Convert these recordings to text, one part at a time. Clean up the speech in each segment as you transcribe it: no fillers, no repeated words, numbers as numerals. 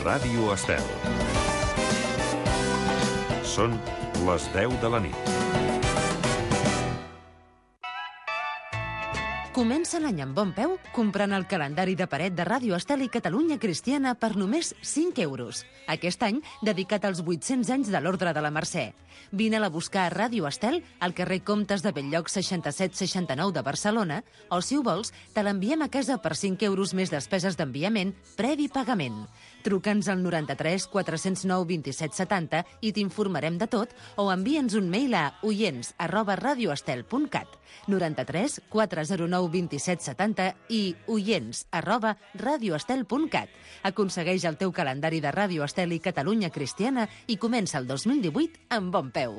Ràdio Estel. Són les 10 de la nit. Comença l'any amb bon peu comprant el calendari de paret de Ràdio Estel i Catalunya Cristiana per només 5 euros. Aquest any dedicat als 800 anys de l'Ordre de la Mercè. Vine-la a buscar a Ràdio Estel, al carrer Comtes de Belllloc 6769 de Barcelona, o si ho vols, te l'enviem a casa per 5 euros més despeses d'enviament, previ pagament. Truca'ns al 93 409 27 70 i t'informarem de tot, o envia'ns un mail a oients@radioestel.cat, 93 409 27 70 i oients@radioestel.cat. Aconsegueix el teu calendari de Ràdio Estel i Catalunya Cristiana i comença el 2018 amb bon peu.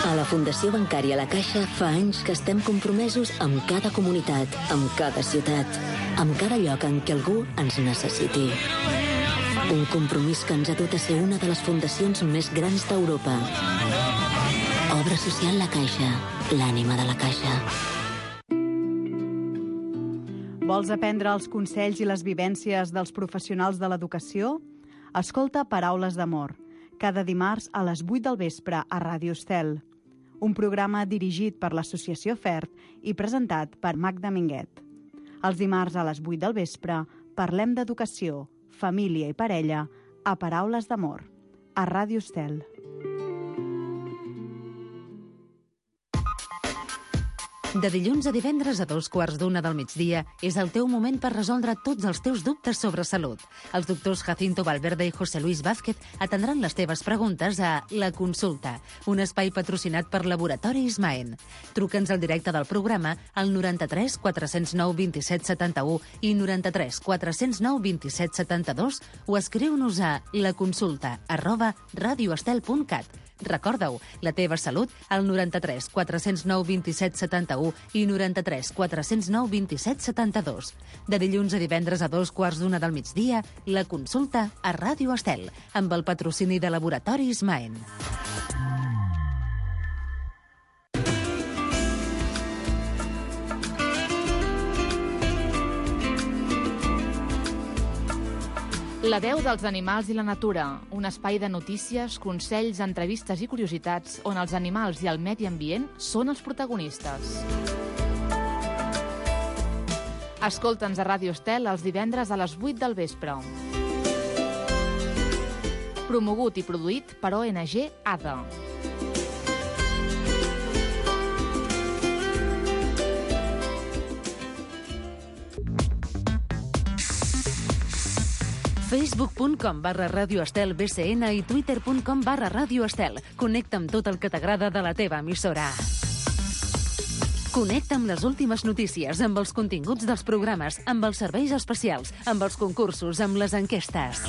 A la Fundació Bancària La Caixa fa anys que estem compromesos amb cada comunitat, amb cada ciutat, amb cada lloc en què algú ens necessiti. Un compromís que ens ha dut a ser una de les fundacions més grans d'Europa. Obra social La Caixa, l'ànima de la Caixa. Vols aprendre els consells i les vivències dels professionals de l'educació? Escolta Paraules d'Amor, cada dimarts a les 8 del vespre a Ràdio Estel. Un programa dirigit per l'Associació FERT i presentat per Magda Minguet. Els dimarts a les 8 del vespre parlem d'educació, família i parella a Paraules d'Amor, a Ràdio Estel. De dilluns a divendres a 2:15 del migdia és el teu moment per resoldre tots els teus dubtes sobre salut. Els doctors Jacinto Valverde i José Luis Vázquez atendran les teves preguntes a La Consulta, un espai patrocinat per Laboratori Ismaen. Truca'ns al directe del programa al 93 409 27 71 i 93 409 27 72 o escriu-nos a laconsulta@radioestel.cat. Recorda-ho, la teva salut al 93 409 27 71 i 93 409 27 72. De dilluns a divendres a 2:15 del migdia, La Consulta a Ràdio Estel, amb el patrocini de Laboratori Ismaen. La veu dels animals i la natura, un espai de notícies, consells, entrevistes i curiositats on els animals i el medi ambient són els protagonistes. Escolta'ns a Ràdio Estel els divendres a les 8 del vespre. Promogut i produït per ONG ADA. Facebook.com/Ràdio Estel BCN i Twitter.com/Ràdio Estel. Connecta amb tot el que t'agrada de la teva emissora. Connecta amb les últimes notícies, amb els continguts dels programes, amb els serveis especials, amb els concursos, amb les enquestes.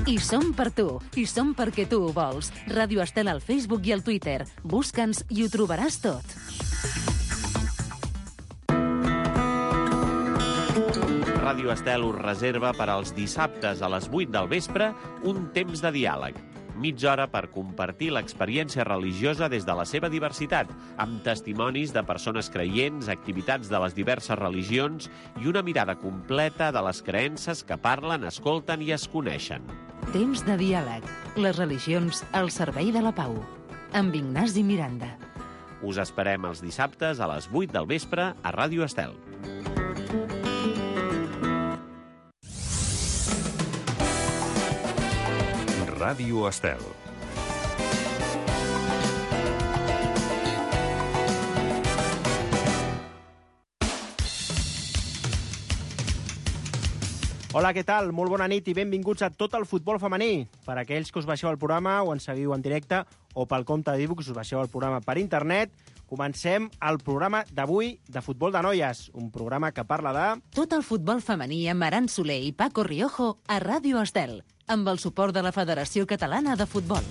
I som per tu, i som perquè tu ho vols. Ràdio Estel al Facebook i al Twitter. Busca'ns i ho trobaràs tot. Ràdio Estel us reserva per als dissabtes a les 8 del vespre un temps de diàleg. Mitja hora per compartir l'experiència religiosa des de la seva diversitat, amb testimonis de persones creients, activitats de les diverses religions i una mirada completa de les creences que parlen, escolten i es coneixen. Temps de diàleg. Les religions al servei de la pau. Amb Ignasi Miranda. Us esperem els dissabtes a les 8 del vespre a Ràdio Estel. Ràdio Estel. Hola, què tal? Molt bona nit i benvinguts a Tot el futbol femení. Per aquells que us baixeu el programa o ens seguiu en directe o pel compte d'e-books us baixeu el programa per internet, comencem el programa d'avui de Futbol de Noies, un programa que parla de... Tot el futbol femení amb Aran Soler i Paco Riojo a Ràdio Estel, amb el suport de la Federació Catalana de Futbol.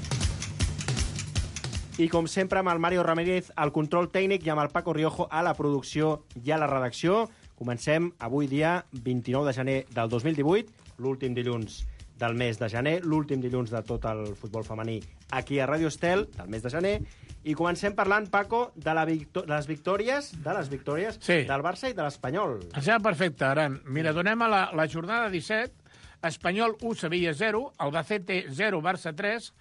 I com sempre amb el Mario Ramírez al control tècnic i amb el Paco Riojo a la producció i a la redacció. Comencem avui dia 29 de gener del 2018, l'últim dilluns del mes de gener, l'últim dilluns de tot el futbol femení aquí a Ràdio Estel, del mes de gener, i comencem parlant, Paco, de les victòries del Barça i de l'Espanyol. Em sembla perfecte, Aran. Mira, donem a la jornada 17, Espanyol 1, Sevilla 0, Albacete 0, Barça 3,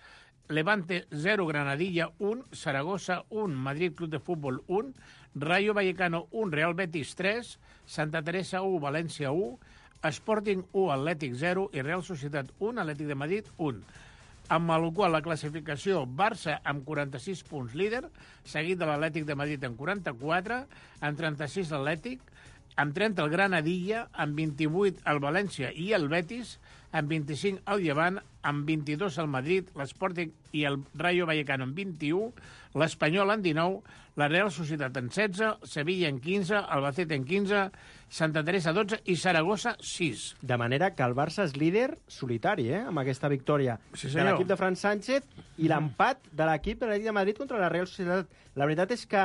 Levante 0, Granadilla 1, Zaragoza 1, Madrid Club de Fútbol 1, Rayo Vallecano 1, Real Betis 3, Santa Teresa 1, València 1, Sporting 1, Atlètic 0 i Real Societat 1, Atlètic de Madrid 1. Amb el qual la classificació Barça amb 46 punts líder, seguit de l'Atlètic de Madrid amb 44, amb 36 l'Atlètic, amb 30 el Granadilla, amb 28 el València i el Betis, amb 25 el Llevant, amb 22 el Madrid, l'Sporting i el Rayo Vallecano amb 21, l'Espanyol en 19, la Real Societat en 16, Sevilla en 15, Albacete en 15, Santa Teresa 12 i Saragossa 6. De manera que el Barça és líder solitari, amb aquesta victòria de l'equip de Fran Sánchez i l'empat de l'equip de l'Atlètic de Madrid contra la Real Societat. La veritat és que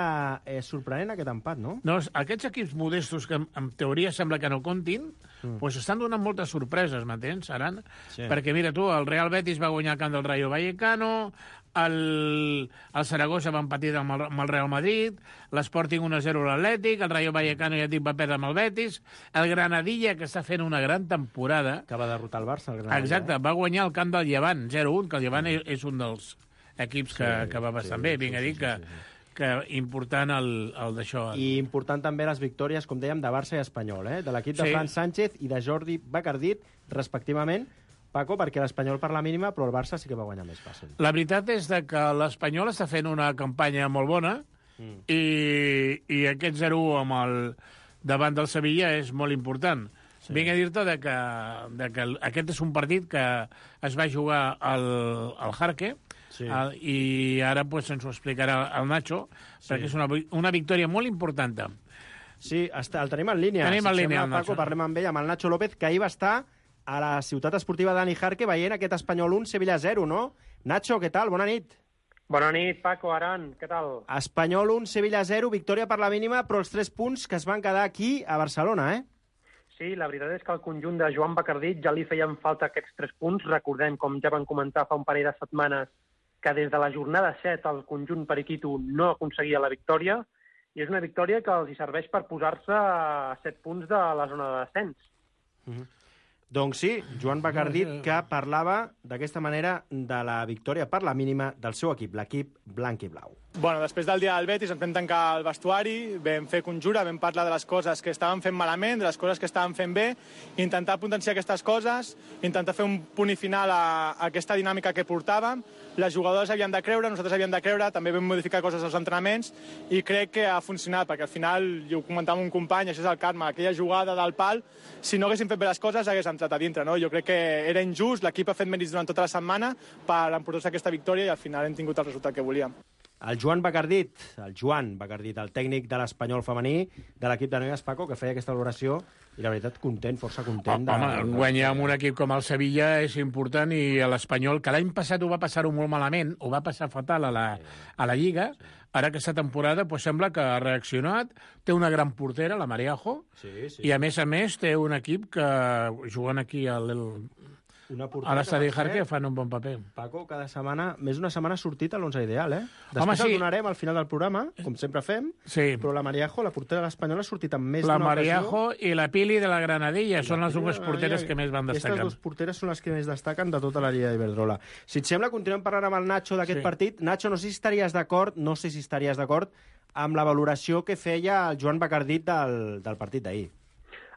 és sorprenent aquest empat, no? No, aquests equips modestos que en teoria sembla que no comptin, doncs estan donant moltes sorpreses, m'entens, Aran? Sí. Perquè mira tu, el Real Betis va guanyar el camp del Rayo Vallecano, el Zaragoza va empatir amb el Real Madrid, l'Sporting 1-0 l'Atlètic, el Rayo Vallecano ja dic va perdre amb el Betis, el Granadilla, que està fent una gran temporada... Que va derrotar el Barça, el Granadilla. Exacte, va guanyar el camp del Llevant, 0-1, que el Llevant és un dels equips que va bastant bé. Vinc a dir que important el d'això. I important també les victòries, com dèiem, de Barça i Espanyol, de l'equip de Fran Sánchez i de Jordi Bacardit, respectivament, Paco, perquè l'Espanyol per la mínima, però el Barça sí que va guanyar més fàcil. La veritat és que l'Espanyol està fent una campanya molt bona i aquest 0-1 davant del Sevilla és molt important. Sí. Vinc a dir-te que aquest és un partit que es va jugar al Jarque, sí. I ara pues, ens ho explicarà el Nacho, perquè és una victòria molt important. Sí, el tenim en línia. Tenim en línia, el Paco, parlem amb ell, amb el Nacho López, que ahir va estar a la ciutat esportiva Dani Jarque veient aquest Espanyol 1, Sevilla 0, no? Nacho, què tal? Bona nit. Bona nit, Paco, Aran, què tal? Espanyol 1, Sevilla 0, victòria per la mínima, però els 3 punts que es van quedar aquí a Barcelona, Sí, la veritat és que al conjunt de Joan Bacardit ja li feien falta aquests 3 punts. Recordem, com ja van comentar fa un parell de setmanes, que des de la jornada 7 el conjunt periquito no aconseguia la victòria, i és una victòria que els hi serveix per posar-se a 7 punts de la zona de descens. Doncs sí, Joan Bacardit, que parlava d'aquesta manera de la victòria per la mínima del seu equip, l'equip blanc i blau. Bueno, després del dia del Betis ens vam tancar el vestuari, vam fer conjura, vam parlar de les coses que estaven fent malament, de les coses que estaven fent bé, intentar potenciar aquestes coses, intentar fer un punt i final a aquesta dinàmica que portàvem. Les jugadores havien de creure, nosaltres havíem de creure, també vam modificar coses als entrenaments i crec que ha funcionat, perquè al final, jo ho comentava amb un company, això és el karma, aquella jugada del pal, si no haguéssim fet bé les coses, hagués entrat a dintre, no? Jo crec que era injust, l'equip ha fet mèrits durant tota la setmana per emportar-se aquesta victòria i al final hem tingut el resultat que volíem. El Joan Bacardit, el tècnic de l'Espanyol femení, de l'equip de noies, Paco, que feia aquesta valoració, i la veritat, content, força content. Guanyar amb un equip com el Sevilla és important, i l'Espanyol, que l'any passat ho va passar-ho molt malament, ho va passar fatal a la Lliga, ara aquesta temporada sembla que ha reaccionat, té una gran portera, la Mariajo, i a més té un equip que juguen aquí a l'estadi Jarque fan un bon paper. Paco, cada setmana, més d'una setmana ha sortit a l'11 ideal, Després el donarem al final del programa, com sempre fem, però la Mariajo, la portera de l'Espanyol, ha sortit amb més d'una ocasió. La Mariajo i la Pili de la Granadilla són les dues porteres que més van destacar. Aquestes dues porteres són les que més destaquen de tota la Lliga d'Iberdrola. Si et sembla, continuem parlant amb el Nacho d'aquest partit. Nacho, no sé si estaries d'acord amb la valoració que feia el Joan Bacardit del partit d'ahir.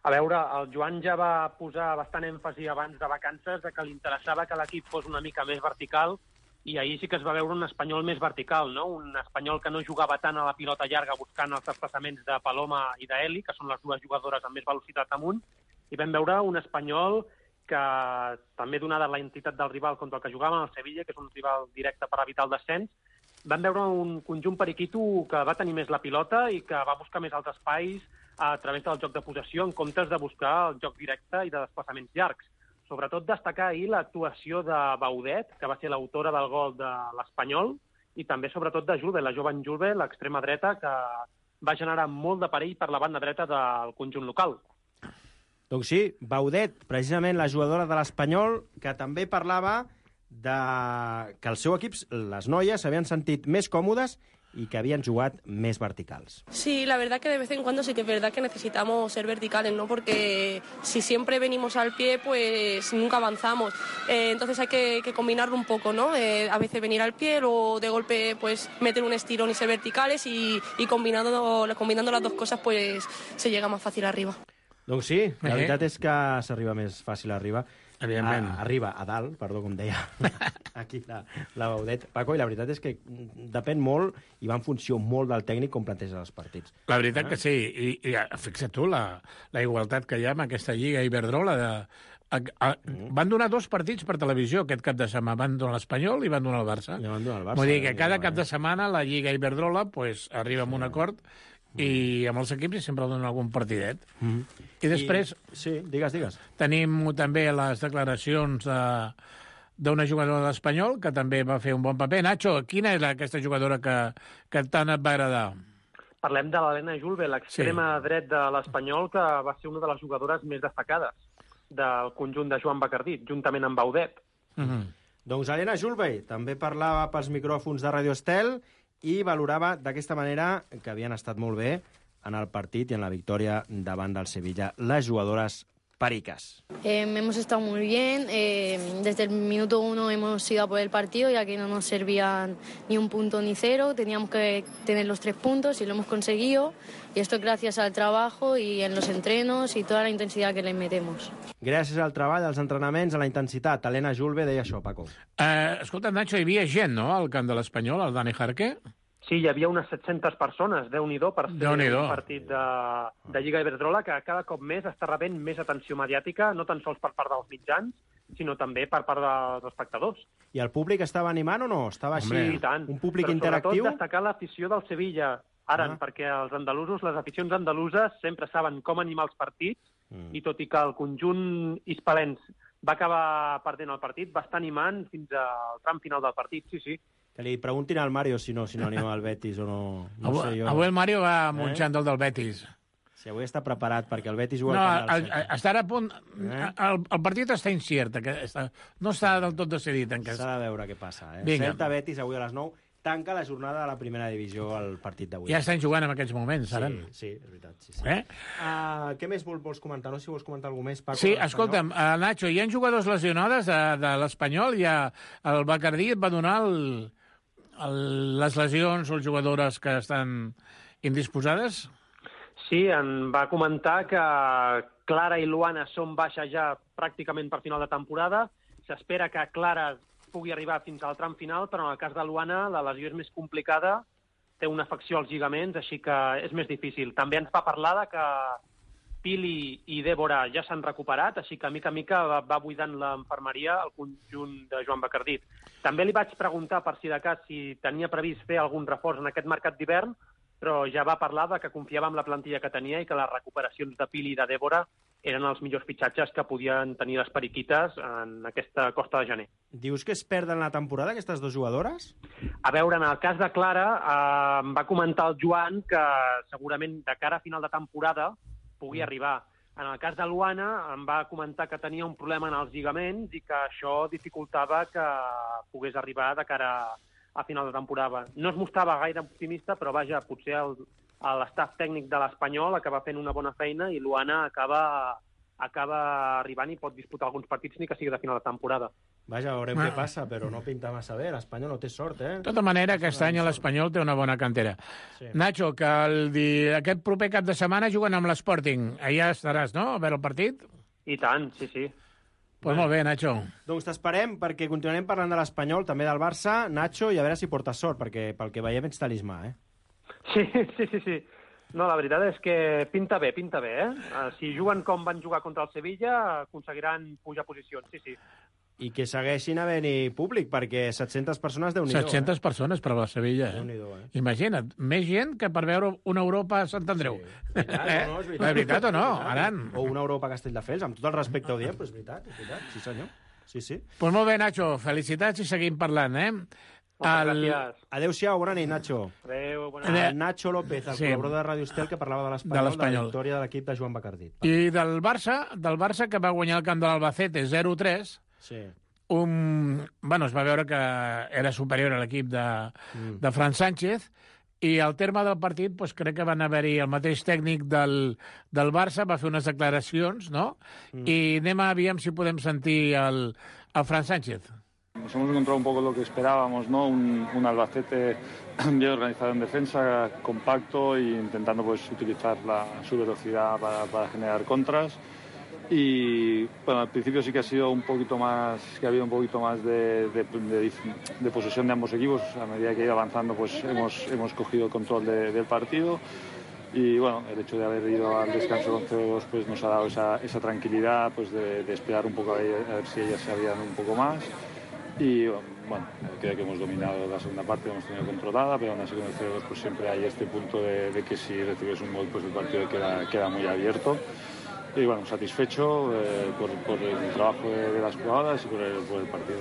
A veure, el Joan ja va posar bastant èmfasi abans de vacances que li interessava que l'equip fos una mica més vertical, i ahir sí que es va veure un Espanyol més vertical, no? Un Espanyol que no jugava tant a la pilota llarga buscant els desplaçaments de Paloma i d'Eli, que són les dues jugadores amb més velocitat amunt, i vam veure un Espanyol que, també donada la entitat del rival contra el que jugava, el Sevilla, que és un rival directe per evitar el descens, vam veure un conjunt periquito que va tenir més la pilota i que va buscar més els espais a través del joc de possessió, en comptes de buscar el joc directe i de desplaçaments llargs. Sobretot destacar ahir l'actuació de Baudet, que va ser l'autora del gol de l'Espanyol, i també sobretot de Julve, la jove Julve, l'extrema dreta, que va generar molt de perill per la banda dreta del conjunt local. Doncs sí, Baudet, precisament la jugadora de l'Espanyol, que també parlava que el seu equip, les noies, s'havien sentit més còmodes y que habían jugado més verticals. Sí, la verdad que de vez en cuando sí que es verdad que necesitamos ser verticales, ¿no? Porque si siempre venimos al pie, pues nunca avanzamos. Entonces hay que combinarlo un poco, ¿no? A veces venir al pie o de golpe pues meter un estirón y ser verticales y combinando las dos cosas pues se llega más fàcil arriba. Doncs sí, la veritat és que s'arriba més fàcil arriba. Evidentment. Arriba a dalt, perdó, com deia aquí la Baudet. Paco, i la veritat és que depèn molt i va en funció molt del tècnic com planteja els partits. La veritat que sí, i fixa't tu la igualtat que hi ha amb aquesta Lliga Iberdrola. Van donar 2 partits per televisió aquest cap de setmana. Van donar l'Espanyol i van donar el Barça. Vull dir que cada cap de setmana la Lliga Iberdrola pues, arriba a un acord i amb els equips sempre donen algun partidet. I després... Sí, digues. Tenim també les declaracions d'una jugadora de l'Espanyol que també va fer un bon paper. Nacho, quina és aquesta jugadora que tant et va agradar? Parlem de l'Helena Julve, l'extrema dret de l'Espanyol, que va ser una de les jugadores més destacades del conjunt de Joan Bacardí, juntament amb Baudet. Doncs Helena Julve també parlava pels micròfons de Radio Estel i valorava d'aquesta manera que havien estat molt bé en el partit i en la victòria davant del Sevilla les jugadores pericas. Hemos estado muy bien. Desde el minuto 1 hemos ido a por el partido, ya que no nos servían ni un punto ni 0. Teníamos que tener los 3 puntos y lo hemos conseguido. Y esto gracias al trabajo y en los entrenos y toda la intensidad que le metemos. Gràcies al treball, als entrenaments, a la intensitat. Helena Julve deia això, Paco. Escolta, Nacho, hi havia gent, no?, al camp de l'Espanyol, al Dani Jarque? Sí, hi havia unes 700 persones, Déu-n'hi-do, per ser un partit de Lliga Iberdrola que cada cop més està rebent més atenció mediàtica, no tan sols per part dels mitjans, sinó també per part dels espectadors. I el públic estava animant o no? Estava així, i tant. un públic però interactiu? Sobretot destacar l'afició del Sevilla, perquè els andalusos, les aficions andaluses, sempre saben com animar els partits, i tot i que el conjunt hispalens va acabar perdent el partit, va estar animant fins al tram final del partit, sí. Que li preguntin al Mario si no anima al Betis o no. Sé jo. Avui el Mario va munxant el del Betis. Sí, avui està preparat perquè el Betis juga al camp del Celta. Estarà a punt... El partit està incert, no està del tot decidit encara. S'ha de veure què passa. Celta-Betis avui a les 9 tanca la jornada de la primera divisió al partit d'avui. Ja estan jugant en aquests moments, ara. Sí, és veritat. Sí. Què més vols comentar? No sé si vols comentar alguna més, Paco. Sí, escolta'm, Nacho, hi ha jugadors lesionades de l'Espanyol, el Bacardí et va donar les lesions o les jugadores que estan indisposades? Sí, en va comentar que Clara i Luana són baixes ja pràcticament per final de temporada. S'espera que Clara pugui arribar fins al tram final, però en el cas de Luana la lesió és més complicada, té una afecció als lligaments, així que és més difícil. També ens va parlar que Pili i Débora ja s'han recuperat, així que mica en mica va buidant l'infermeria al conjunt de Joan Bacardí. També li vaig preguntar, per si de cas, si tenia previst fer algun reforç en aquest mercat d'hivern, però ja va parlar que confiava en la plantilla que tenia i que les recuperacions de Pili i de Débora eren els millors fitxatges que podien tenir les periquites en aquesta costa de gener. Dius que es perden la temporada, aquestes dues jugadores? A veure, en el cas de Clara, em va comentar el Joan que segurament de cara a final de temporada pugui arribar. En el cas de Luana, em va comentar que tenia un problema en els lligaments i que això dificultava que pogués arribar de cara a final de temporada. No es mostrava gaire optimista, però vaja, potser l'estaf tècnic de l'Espanyol acaba fent una bona feina i Luana acaba arribant i pot disputar alguns partits ni que sigui de final de temporada. Vaja, veurem què passa, però no pinta massa bé. L'Espanyol no té sort, De tota manera, aquest any l'Espanyol té una bona cantera. Sí. Nacho, que aquest proper cap de setmana juguen amb l'Sporting. Allà estaràs, no?, a veure el partit? I tant, sí. Pues molt bé, Nacho. Doncs t'esperem, perquè continuarem parlant de l'Espanyol, també del Barça, Nacho, i a veure si portes sort, perquè pel que veiem ets talismà, Sí. No, la veritat és que pinta bé, Si juguen com van jugar contra el Sevilla, aconseguiran pujar posicions, sí. I que segueixin havent-hi públic, perquè 700 persones, Déu-n'hi-do. 700 persones per a la Sevilla, Déu-n'hi-do, Imagina't, més gent que per veure una Europa a Sant Andreu. Sí. És veritat o no, Aran? O una Europa a Castelldefels, amb tot el respecte ho diem, però és veritat, sí senyor. Sí. Pues molt bé, Nacho, felicitats i seguim parlant, Gràcies. Adéu-siau, bona nit, Nacho. Adéu, bona nit. Nacho López, el col·laborador de Radio Estel, que parlava de l'Espanyol, de la victòria de l'equip de Joan Bacardí. I del Barça, que va guanyar el camp de l'Albacete 0-3, sí. es va veure que era superior a l'equip de Fran Sánchez, i al terme del partit crec que van haver-hi el mateix tècnic del Barça, va fer unes declaracions, no? I anem a aviam si podem sentir el Fran Sánchez. Nos hemos encontrado un poco lo que esperábamos, ¿no? Un Albacete bien organizado en defensa, compacto e intentando utilizar su velocidad para generar contras. Y bueno, al principio sí que ha sido un poquito más, que ha habido un poquito más de posesión de ambos equipos. A medida que ha ido avanzando, hemos cogido el control del partido. Y bueno, el hecho de haber ido al descanso con 0-2 nos ha dado esa tranquilidad de esperar un poco a ver si ellas se abrían un poco más. Y bueno, creo que hemos dominado la segunda parte, hemos tenido controlada, pero aún así con el 0-2 siempre hay este punto de que si recibes un gol, el partido queda muy abierto. Y bueno, satisfecho por el trabajo de las jugadoras y por el partido.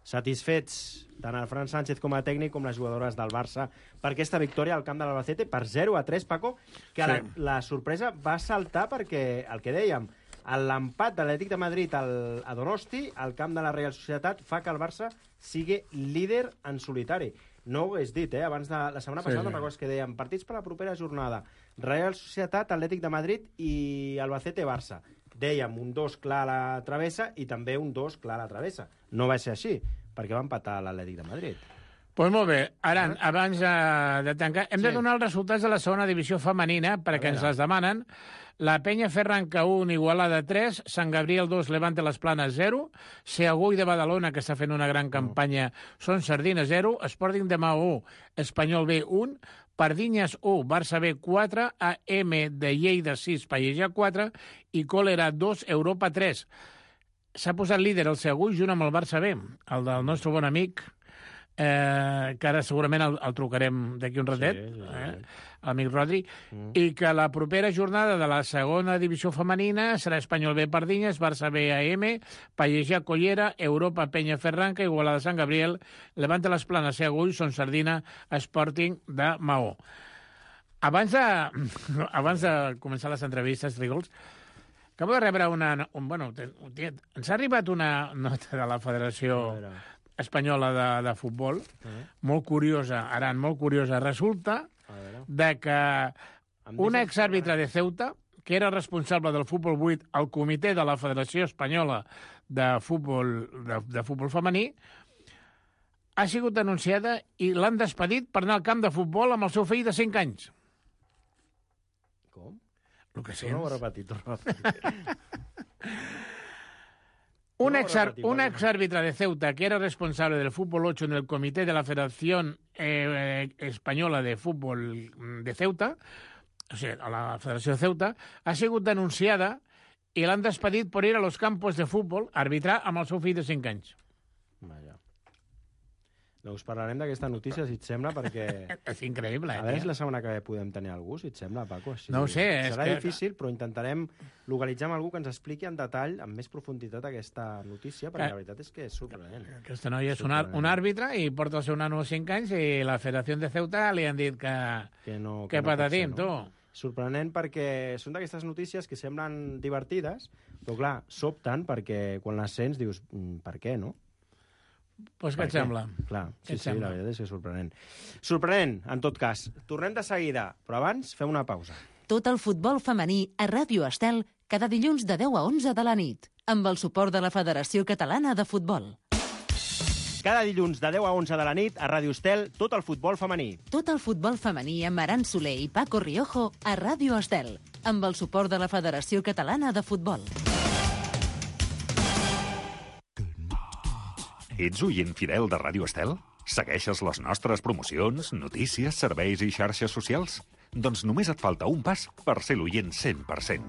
Satisfets tant el Fran Sánchez com a tècnic com les jugadores del Barça per aquesta victòria al camp de l'Albacete per 0-3, Paco, que la sorpresa va saltar perquè, el que dèiem, l'empat de l'Atlètic de Madrid a Donosti, al camp de la Real Societat, fa que el Barça sigui líder en solitari. No ho hagués dit, abans de la setmana passada, no recordes que dèiem partits per la propera jornada, Real Societat, Atlètic de Madrid i Albacete-Barça. Dèiem un 2 clar a la travessa i també un 2 clar a la travessa. No va ser així, perquè va empatar l'Atlètic de Madrid. Doncs molt bé. Aran, abans de tancar, hem de donar els resultats de la segona divisió femenina, perquè ens les demanen. La Penya Ferranca 1, Igualada 3, Sant Gabriel 2, Levante Les Planes 0, Seagull de Badalona, que està fent una gran campanya, Son Sardina 0, Sporting de Maó 1, Espanyol B 1, Pardinyes 1, Barça B 4, AM de Lleida 6, Pallejà 4 i Còlera 2, Europa 3. S'ha posat líder el Seagull junt amb el Barça B, el del nostre bon amic, que ara segurament el trucarem d'aquí un ratet, l'amic Rodri, i que la propera jornada de la segona divisió femenina serà Espanyol B Pardinyes, Barça B AM, Pallejà Collera, Europa Penya Ferranca, Igualada Sant Gabriel, Levante Les Planes, Seagull, Son Sardina, Sporting de Maó. Abans de començar les entrevistes, Rigols, acabo de rebre ens ha arribat una nota de la Federació Espanyola de Futbol, molt curiosa, Aran, molt curiosa. Resulta que un exàrbitre de Ceuta, que era responsable del futbol 8 al comitè de la Federació Espanyola de futbol femení, ha sigut denunciada i l'han despedit per anar al camp de futbol amb el seu fill de 5 anys. Com? El que sents? No ho he repetit. Un exárbitro de Ceuta, que era responsable del fútbol 8 en el comité de la Federación Española de Fútbol de Ceuta, o sigui, a la Federació de Ceuta, ha sigut denunciada i l'han despedit per ir a los campos de futbol a arbitrar amb el seu fill de 5 anys. Vaja. Doncs parlarem d'aquesta notícia, si et sembla, perquè... És increïble, A veure si la setmana que ve podem tenir algú, si et sembla, Paco. No ho sé. Serà difícil, però intentarem localitzar amb algú que ens expliqui en detall, amb més profunditat, aquesta notícia, perquè la veritat és que és sorprenent. Aquesta noia és un àrbitre i porta el seu nano a 5 anys i la Federació de Ceuta li han dit que patatim, tu. Sorprenent perquè són d'aquestes notícies que semblen divertides, però clar, sobten perquè quan les sents dius, per què, no? Doncs què et sembla? Clar, sí, la veritat és que és sorprenent. Sorprenent, en tot cas. Tornem de seguida, però abans fem una pausa. Tot el futbol femení a Ràdio Estel cada dilluns de 10 a 11 de la nit, amb el suport de la Federació Catalana de Futbol. Cada dilluns de 10 a 11 de la nit a Ràdio Estel, tot el futbol femení. Tot el futbol femení amb Aran Soler i Paco Riojo a Ràdio Estel, amb el suport de la Federació Catalana de Futbol. Ets oient fidel de Ràdio Estel? Segueixes les nostres promocions, notícies, serveis i xarxes socials? Doncs només et falta un pas per ser l'oient 100%.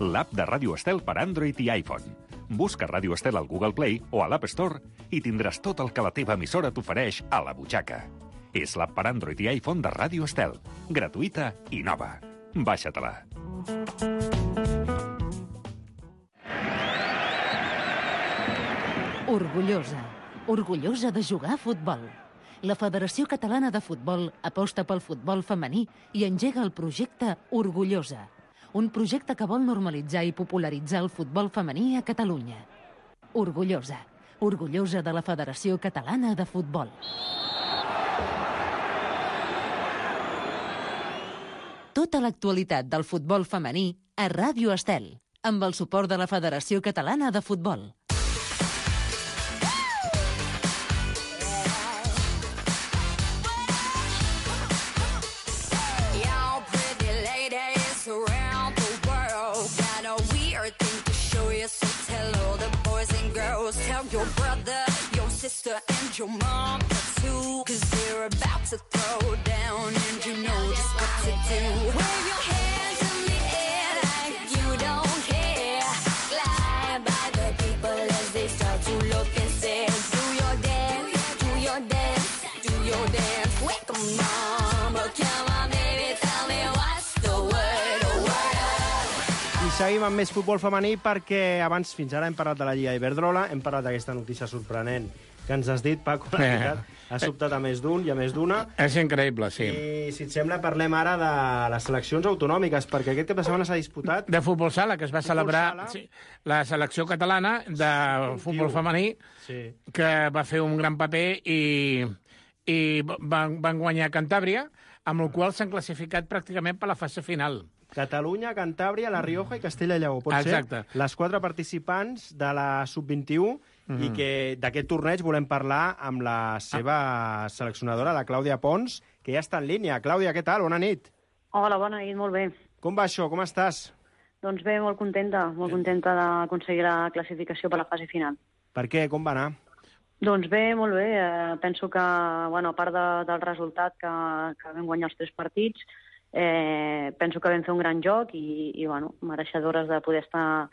L'app de Ràdio Estel per Android i iPhone. Busca Ràdio Estel al Google Play o a l'App Store i tindràs tot el que la teva emissora t'ofereix a la butxaca. És l'app per Android i iPhone de Ràdio Estel. Gratuïta i nova. Baixa-te-la. Orgullosa de jugar a futbol. La Federació Catalana de Futbol aposta pel futbol femení i engega el projecte Orgullosa, un projecte que vol normalitzar i popularitzar el futbol femení a Catalunya. Orgullosa, orgullosa de la Federació Catalana de Futbol. Tota l'actualitat del futbol femení a Ràdio Estel, amb el suport de la Federació Catalana de Futbol. Tell your brother, your sister, and your mom too, 'cause they're about to throw down, and you know just what to do. Wave your hands in the air like you don't care. Glide by the people as they start to look and say, do your dance, do your dance, do your dance. Wake 'em mama, come on baby, tell me what's the word, I seguim amb més futbol femení perquè abans, fins ara, hem parlat de la Lliga Iberdrola, hem parlat d'aquesta notícia sorprenent que ens has dit, Paco, la veritat, ha sobtat a més d'un i a més d'una. És increïble, sí. I, si et sembla, parlem ara de les seleccions autonòmiques, perquè aquest cap de setmana s'ha disputat... De futbol sala, que es va celebrar la selecció catalana de futbol femení, que va fer un gran paper i van guanyar Cantàbria, amb el qual s'han classificat pràcticament per la fase final. Catalunya, Cantàbria, La Rioja i Castella i Lleó. Pot ser les 4 participants de la Sub-21 i que d'aquest torneig volem parlar amb la seva seleccionadora, la Clàudia Pons, que ja està en línia. Clàudia, què tal? Bona nit. Hola, bona nit, molt bé. Com va això? Com estàs? Doncs bé, molt contenta d'aconseguir la classificació per la fase final. Per què? Com va anar? Doncs bé, molt bé. Penso que, bueno, a part del resultat que vam guanyar els 3 partits, penso que vam fer un gran joc i bueno, mereixedores de poder estar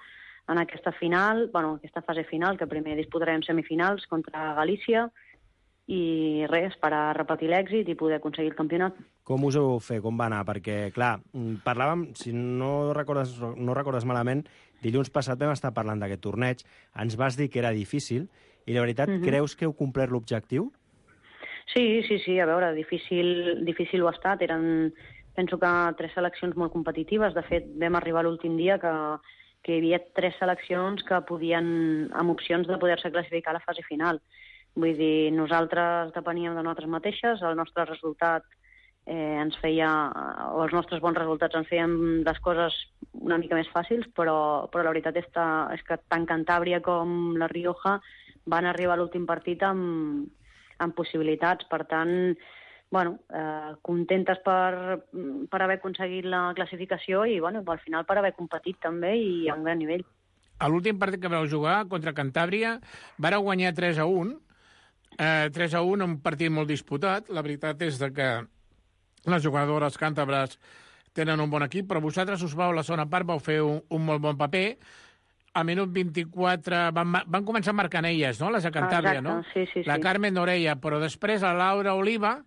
en aquesta final, bueno, aquesta fase final, que primer disputarem semifinals contra Galícia i res, per a repetir l'èxit i poder aconseguir el campionat. Com us ho heu fet? Com va anar? Perquè, clar, parlàvem, si no recordes malament, dilluns passat vam estar parlant d'aquest torneig, ens vas dir que era difícil, i la veritat, creus que heu complert l'objectiu? Sí, a veure, difícil ho ha estat, penso que 3 seleccions molt competitives. De fet, vam arribar l'últim dia que hi havia 3 seleccions que podien, amb opcions de poder-se classificar a la fase final. Vull dir, nosaltres depeníem de nosaltres mateixes, el nostre resultat ens feia, o els nostres bons resultats ens feien les coses una mica més fàcils, però la veritat és que tant Cantàbria com La Rioja van arribar a l'últim partit amb possibilitats. Per tant, bueno, contentes per haver aconseguit la classificació i, bueno, al final per haver competit també i a un gran nivell. A l'últim partit que vau jugar contra Cantàbria vareu guanyar 3-1. 3-1, un partit molt disputat. La veritat és que les jugadores càntabres tenen un bon equip, però vosaltres us vau a la segona part, vau fer un molt bon paper. A minut 24 van començar marcant elles, no?, les de Cantàbria, no? Sí. La Carmen Orella, però després la Laura Oliva,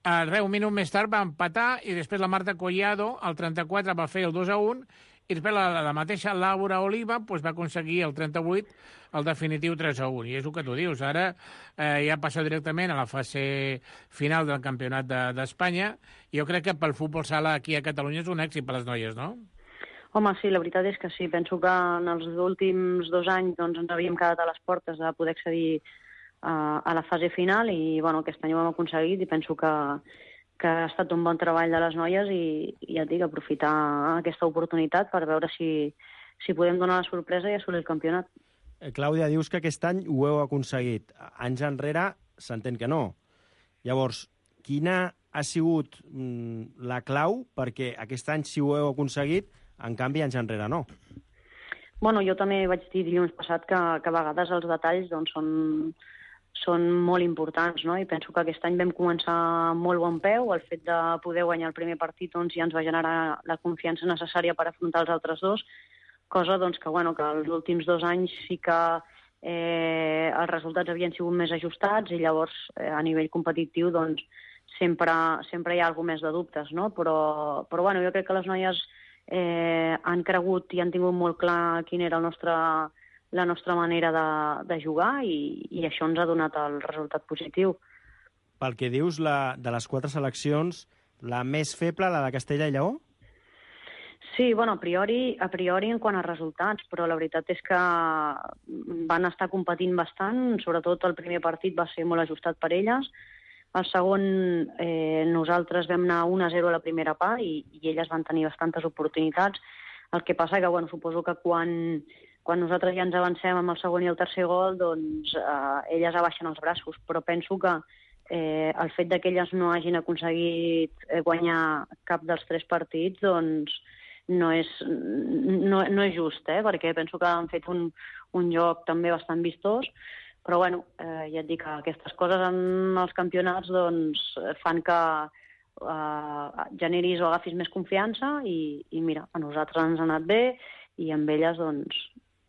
un minut més tard va empatar i després la Marta Collado, al 34, va fer el 2-1 i després la mateixa Laura Oliva va aconseguir el 38, el definitiu 3-1. I és el que tu dius, ara ja passa directament a la fase final del Campionat d'Espanya. Jo crec que pel futbol sala aquí a Catalunya és un èxit per les noies, no? Home, sí, la veritat és que sí. Penso que en els últims 2 anys ens havíem quedat a les portes de poder accedir a la fase final i, bueno, aquest any ho hem aconseguit i penso que ha estat un bon treball de les noies i ja et dic, aprofitar aquesta oportunitat per veure si podem donar la sorpresa i assolir el campionat. Clàudia, dius que aquest any ho heu aconseguit. Anys enrere s'entén que no. Llavors, quina ha sigut la clau perquè aquest any sí ho heu aconseguit, en canvi anys enrere no? Bueno, jo també vaig dir dilluns passat que a vegades els detalls doncs, són molt importants, no? I penso que aquest any vam començar amb molt bon peu. El fet de poder guanyar el primer partit doncs, ja ens va generar la confiança necessària per afrontar els altres 2, cosa doncs, que els últims 2 anys sí que els resultats havien sigut més ajustats i llavors a nivell competitiu doncs, sempre hi ha alguna més de dubtes, no? Però bueno, jo crec que les noies han cregut i han tingut molt clar quina era la nostra manera de jugar i això ens ha donat el resultat positiu. Pel que dius, de les 4 seleccions, la més feble, la de Castella i Lleó? Sí, bueno, a priori en quant a resultats, però la veritat és que van estar competint bastant, sobretot el primer partit va ser molt ajustat per elles. El segon, nosaltres vam anar 1-0 a la primera part i elles van tenir bastantes oportunitats. El que passa que, bueno, suposo que quan nosaltres ja ens avancem amb el segon i el tercer gol, doncs elles abaixen els braços, però penso que el fet que elles no hagin aconseguit guanyar cap dels 3 partits, doncs no és just, perquè penso que han fet un joc també bastant vistós, però bueno, ja et dic que aquestes coses en els campionats doncs, fan que generis o agafis més confiança i mira, a nosaltres ens ha anat bé i amb elles doncs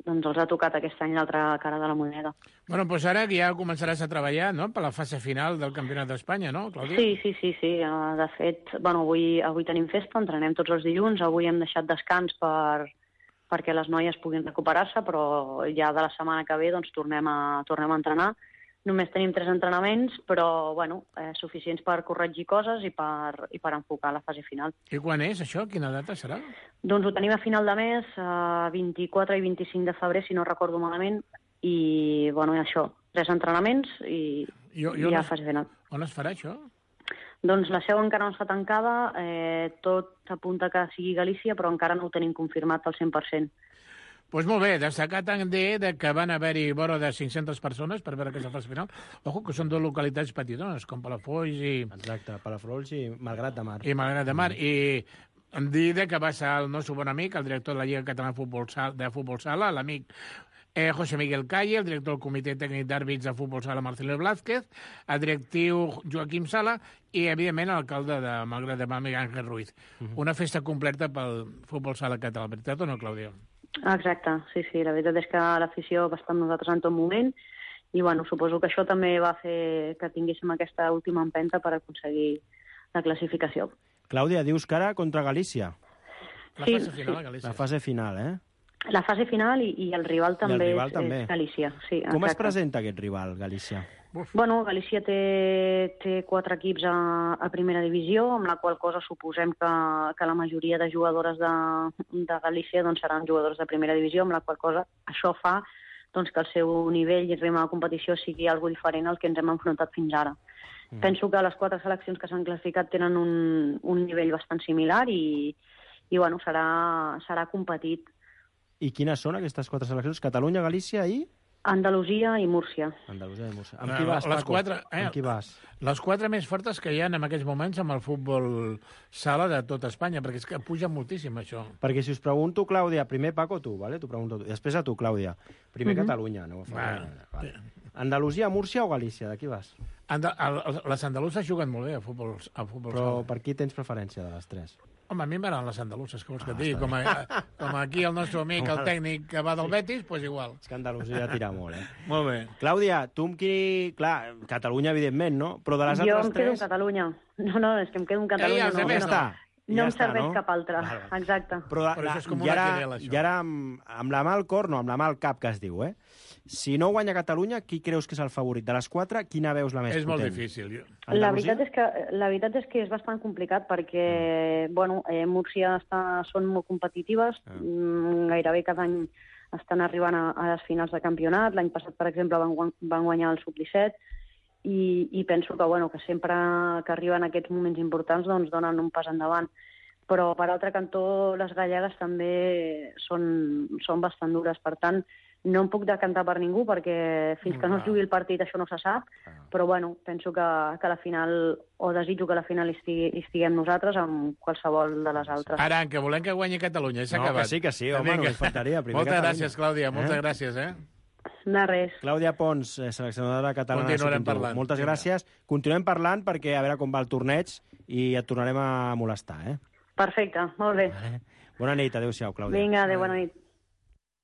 els ha tocat aquest any l'altra cara de la moneda. Bueno, doncs ara ja començaràs a treballar, no?, per la fase final del Campionat d'Espanya, no, Clàudia? Sí. De fet, bueno, avui tenim festa, entrenem tots els dilluns, avui hem deixat descans perquè les noies puguin recuperar-se, però ja de la setmana que ve doncs tornem a entrenar. Només tenim 3 entrenaments, però bueno, suficients per corregir coses i per enfocar la fase final. I quan és això? Quina data serà? Doncs ho tenim a final de mes, 24 i 25 de febrer, si no recordo malament, i bueno, això, 3 entrenaments i ja fase final. On es farà això? Doncs la seu encara no està tancada, tot apunta que sigui Galícia, però encara no ho tenim confirmat al 100%. Doncs molt bé, destacar també que van haver-hi vora de 500 persones per veure aquesta fase final. Ojo, que són 2 localitats petitones, com Palafolls i... Exacte, Palafolls i Malgrat de Mar. I Malgrat de Mar. I em dir que va ser el nostre bon amic, el director de la Lliga Catalana de Futbol Sala, l'amic José Miguel Calle, el director del Comitè Tècnic d'Àrbits de Futbol Sala, Marcelo Blázquez, el directiu Joaquim Sala i, evidentment, l'alcalde de Malgrat de Mar, Miguel Ángel Ruiz. Una festa completa pel Futbol Sala català, veritat o no, Clàudia? Exacte, sí. La veritat és que l'afició va estar amb nosaltres en tot moment i, bueno, suposo que això també va fer que tinguéssim aquesta última empenta per aconseguir la classificació. Clàudia, dius que ara contra Galícia. La fase final a Galícia. La fase final, La fase final i el rival també és Galícia. Sí, com es presenta aquest rival, Galícia? Bueno, Galícia té 4 equips a primera divisió, amb la qual cosa suposem que la majoria de jugadores de Galícia doncs, seran jugadors de primera divisió, amb la qual cosa això fa doncs, que el seu nivell i ritme de competició sigui algo diferent al que ens hem enfrontat fins ara. Penso que les 4 seleccions que s'han classificat tenen un nivell bastant similar i bueno, serà competit. I quines són aquestes 4 seleccions? Catalunya, Galícia i... Andalusia i Múrcia. Amb qui vas, Paco? Amb qui vas? Les 4 més fortes que hi ha en aquests moments amb el futbol sala de tota Espanya, perquè és que puja moltíssim, això. Perquè si us pregunto, Clàudia, primer Paco, tu, ¿vale? T'ho pregunto tu. Després a tu, Clàudia. Primer Catalunya, no? Vale. Andalusia, Múrcia o Galícia? De qui vas? Les andaluses juguen molt bé a futbol Però sala. per qui tens preferència de les 3? Home, a mi m'agraden les andaluses, que vols que et digui? Com aquí el nostre amic, el tècnic que va del Betis, doncs igual. És que Andalusia tira molt, Molt bé. Clàudia, tu amb qui... Clar, Catalunya, evidentment, no? Però de les altres 3... Jo em quedo amb Catalunya. No, és que em quedo amb Catalunya. No em serveix cap altra. Exacte. Però això és com una querela, això. I ara, amb la mà al cor, no, amb la mà al cap, que es diu, Si no guanya Catalunya, qui creus que és el favorit? De les 4, quina veus la més potent? És molt difícil. La veritat és que és bastant complicat perquè, bueno, Múrcia són molt competitives, gairebé cada any estan arribant a les finals de campionat. L'any passat, per exemple, van guanyar el Sub-17 i penso que, bueno, que sempre que arriben aquests moments importants doncs donen un pas endavant. Però, per altre cantó, les gallegues també són bastant dures. Per tant, no em puc decantar per ningú perquè fins que no es jugui el partit això no se sap, però bueno, penso que la final, o desitjo que la final estiguem nosaltres amb qualsevol de les altres. Ara, que volem que guanyi Catalunya, s'ha acabat. Que sí, home, només faltaria. Moltes gràcies, Clàudia, moltes gràcies, De res. Clàudia Pons, seleccionadora catalana. Continuarem parlant. Moltes gràcies. Continuem parlant perquè a veure com va el torneig i et tornarem a molestar, Perfecte, molt bé. Bona nit, adéu-siau, Clàudia. Vinga, adéu, bona nit.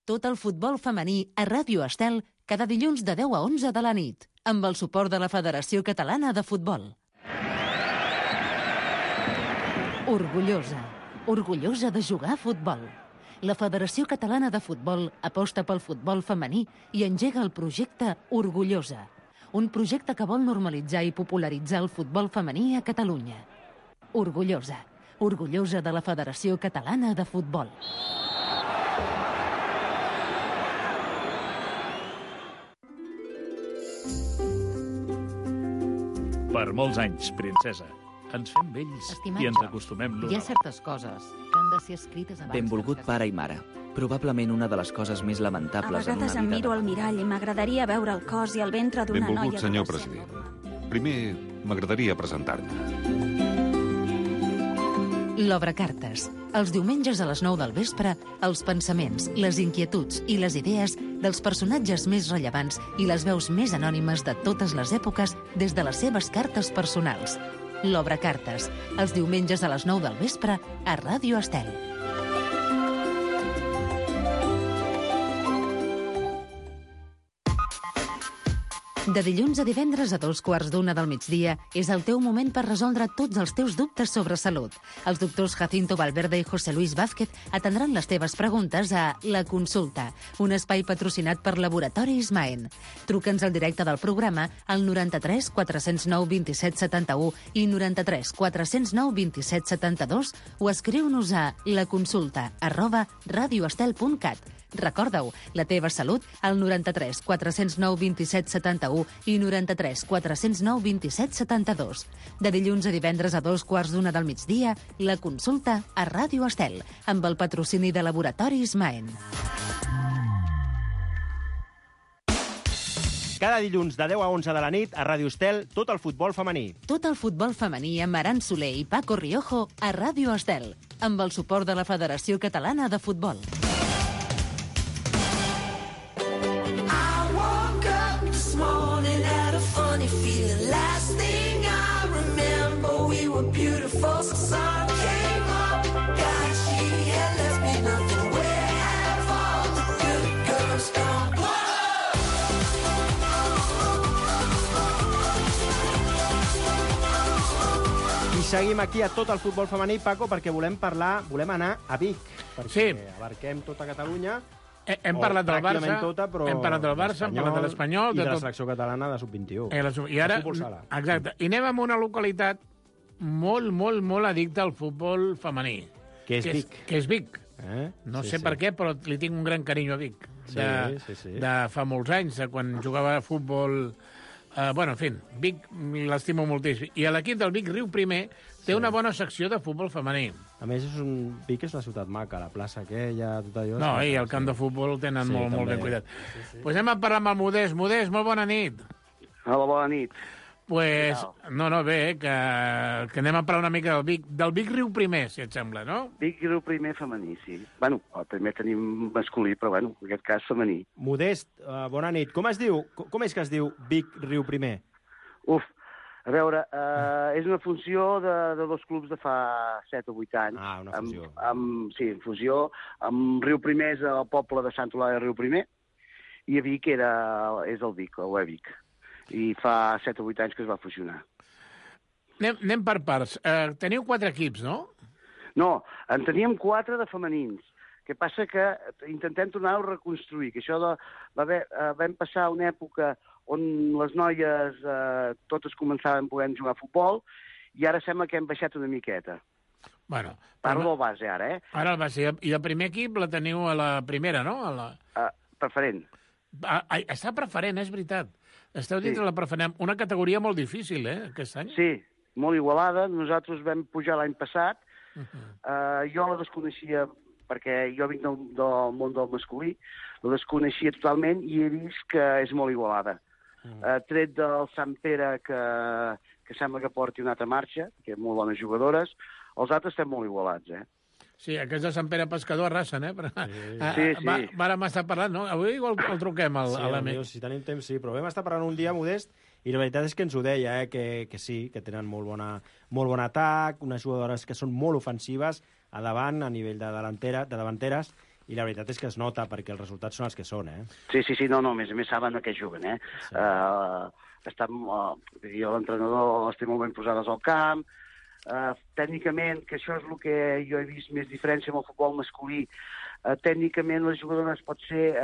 Tot el futbol femení a Ràdio Estel cada dilluns de 10 a 11 de la nit, amb el suport de la Federació Catalana de Futbol. Orgullosa de jugar a futbol. La Federació Catalana de Futbol aposta pel futbol femení i engega el projecte Orgullosa, un projecte que vol normalitzar i popularitzar el futbol femení a Catalunya. Orgullosa, orgullosa de la Federació Catalana de Futbol. Per molts anys, princesa. Ens fem vells i ens acostumem l'un Hi ha certes coses que han de ser escrites abans. Benvolgut pare i mare. Probablement una de les coses més A lamentables en una vegades em vida... miro al mirall i m'agradaria veure el cos i el ventre d'una noia... Benvolgut, senyor president. Primer, m'agradaria presentar-te. L'Obre Cartes. Els diumenges a les 9 del vespre, els pensaments, les inquietuds i les idees dels personatges més rellevants i les veus més anònimes de totes les èpoques des de les seves cartes personals. L'Obre Cartes. Els diumenges a les 9 del vespre a Ràdio Estel. De dilluns a divendres a 2:15 del migdia és el teu moment per resoldre tots els teus dubtes sobre salut. Els doctors Jacinto Valverde i José Luis Vázquez atendran les teves preguntes a La Consulta, un espai patrocinat per Laboratoris Maen. Truca'ns al directe del programa al 93 409 27 71 i 93 409 27 72 o escriu-nos a laconsulta@radioestel.cat. Recorda-ho, la teva salut al 93 409 27 71 i 93 409 27 72. De dilluns a divendres a 2:15 del migdia, La Consulta a Ràdio Estel, amb el patrocini de Laboratoris Maen. Cada dilluns de 10 a 11 de la nit a Ràdio Estel, tot el futbol femení. Tot el futbol femení amb Aran Soler i Paco Riojo a Ràdio Estel, amb el suport de la Federació Catalana de Futbol. Funny feeling. Last thing I remember, we were beautiful. The sun came up, God, she had left me nothing. Where have all the good girls gone? I seguim aquí a tot el futbol femení, Paco, perquè volem anar a Vic, perquè abarquem tota Catalunya. Hem parlat del Barça, hem parlat del Barça, hem parlat de l'Espanyol... I de la selecció catalana de sub-21. I ara, exacte, i anem a una localitat molt addicta al futbol femení. Que és Vic. Que és Vic. No sé per què, però li tinc un gran carinyo a Vic. De fa molts anys, de quan jugava a futbol... Bueno, en fi, Vic l'estimo moltíssim. I l'equip del Vic Riu Primer té una bona secció de futbol femení. A més, Vic és una ciutat maca, la plaça aquella, tot allò... No, i el camp de futbol el tenen molt ben cuidat. Doncs anem a parlar amb el Modest. Modest, molt bona nit. Hola, bona nit. Pues, bé, que anem a parlar una mica del Vic Riu Primer, si et sembla, no? Vic Riu Primer femení, sí. Bueno, també tenim masculí, però bueno, en aquest cas femení. Modest, bona nit. Com es diu? Com és que es diu Vic Riu Primer? A veure, és una funció de dos clubs de fa 7 o 8 anys. Ah, una fusió. Sí, fusió. Amb Riu Primer és el poble de Sant Olà de Riu Primer i a Vic és el Vic, el Vic. I fa 7 o 8 anys que es va fusionar. Anem per parts. Teniu 4 equips, no? No, en teníem 4 de femenins. Que passa que intentem tornar-ho a reconstruir, que això vam passar una època on les noies totes començaven podent jugar a futbol i ara sembla que hem baixat una miqueta. Bueno, parlo del base, ara, Ara el base. I el primer equip la teniu a la primera, no? Preferent. Està preferent, és veritat. Esteu dintre la preferent. Una categoria molt difícil, aquest any. Sí, molt igualada. Nosaltres vam pujar l'any passat. Jo la desconeixia perquè jo vinc del món del masculí, la desconeixia totalment i he vist que és molt igualada. Tret del Sant Pere, que sembla que porti una altra marxa, que molt bones jugadores, els altres estem molt igualats, Sí, aquests de Sant Pere Pescador arrasen, Sí. Vàrem estar parlant, no? Avui igual el truquem a l'amic. Si tenim temps, sí, però vam estar parlant un dia, Modest, i la veritat és que ens ho deia, que sí, que tenen molt bon atac, unes jugadores que són molt ofensives a davant, a nivell de davanteres, i la veritat és que es nota, perquè els resultats són els que són, Sí, no, a més saben a què juguen, Sí. Jo, l'entrenador, les té molt ben posades al camp, tècnicament, que això és el que jo he vist més diferència amb el futbol masculí, tècnicament les jugadores pot ser...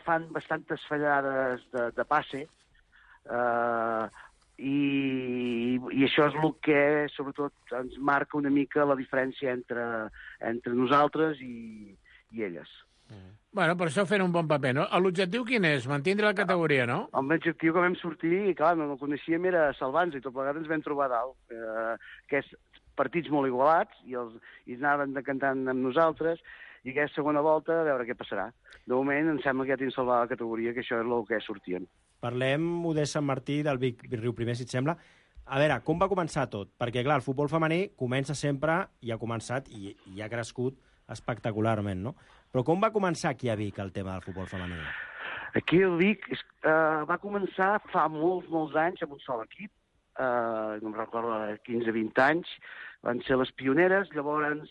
fan bastantes fallades de passe, i això és el que, sobretot, ens marca una mica la diferència entre nosaltres i elles. Bueno, per això fent un bon paper, no? L'objectiu quin és? Mantindre la categoria, no? L'objectiu que vam sortir, i clar, no el coneixíem, era salvar-nos, i tot plegat ens vam trobar dalt. Aquests partits molt igualats, i anaven decantant amb nosaltres, i aquesta segona volta, a veure què passarà. De moment, em sembla que ja tenim salvat la categoria, que això és el que sortíem. Parlem, Modest Sant Martí, del Vic Riu Primer, si et sembla. A veure, com va començar tot? Perquè, clar, el futbol femení comença sempre, i ha començat, i ha crescut espectacularment, no? Però com va començar aquí a Vic el tema del futbol femení? Aquí a Vic va començar fa molts anys amb un sol equip, no em recordo, 15-20 anys, van ser les pioneres, llavors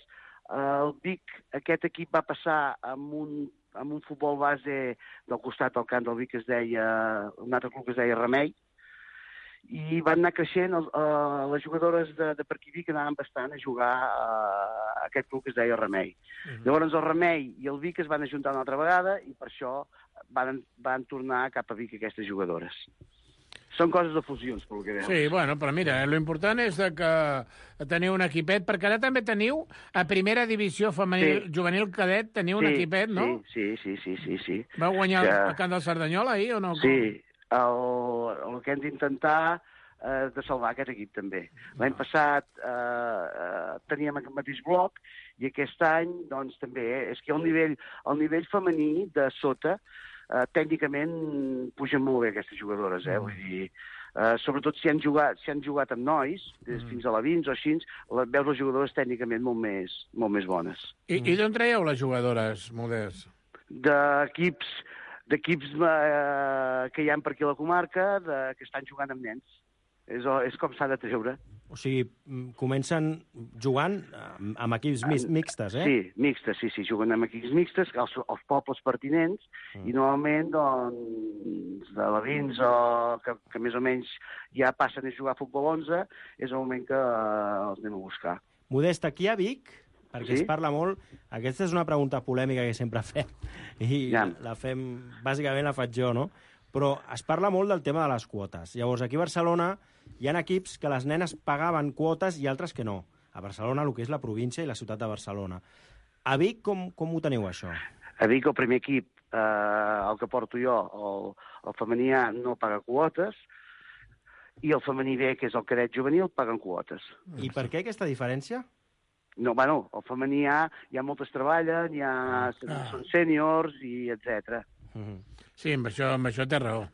el Vic, aquest equip va passar amb un futbol base del costat del camp del Vic, que es deia, un altre club que es deia Remei, i van anar creixent les jugadores de per aquí Vic anaven bastant a jugar a aquest club que es deia Remei. Llavors el Remei i el Vic es van ajuntar una altra vegada i per això van tornar cap a Vic aquestes jugadores. Són coses de fusions, pel que veus. Sí, bueno, però mira, l'important és que teniu un equipet, perquè ara també teniu a primera divisió femenil, juvenil cadet, teniu un equipet, no? Sí. Vau guanyar el camp del Cerdanyola ahir o no? Sí, el que hem d'intentar de salvar aquest equip també. L'any passat teníem aquest mateix bloc i aquest any doncs també és que el nivell femení de sota tècnicament pugen molt bé aquestes jugadores, vull dir, sobretot si han jugat amb nois, fins a la 20 o així, veus les jugadores tècnicament molt més bones. I d'on traieu les jugadores, Modest? D'equips que hi ha per aquí a la comarca que estan jugant amb nens. És com s'ha de treure. O sigui, comencen jugant amb equips mixtes, eh? Sí, mixtes, sí, juguen amb equips mixtes, els pobles pertinents, i normalment, doncs, de la Vins, que més o menys ja passen a jugar a futbol 11, és el moment que els anem a buscar. Modest, aquí a Vic, perquè es parla molt, aquesta és una pregunta polèmica que sempre fem, i la fem, bàsicament la faig jo, no? Però es parla molt del tema de les quotes. Llavors, aquí a Barcelona hi ha equips que les nenes pagaven quotes i altres que no. A Barcelona, el que és la província i la ciutat de Barcelona. A Vic, com ho teniu, això? A Vic, el primer equip, el que porto jo, el femení A, no paga quotes, i el femení B, que és el cadet juvenil, paguen quotes. I per què aquesta diferència? No, bueno, el femení A hi ha moltes treballen, són sèniors i etc. Sí, amb això té raó,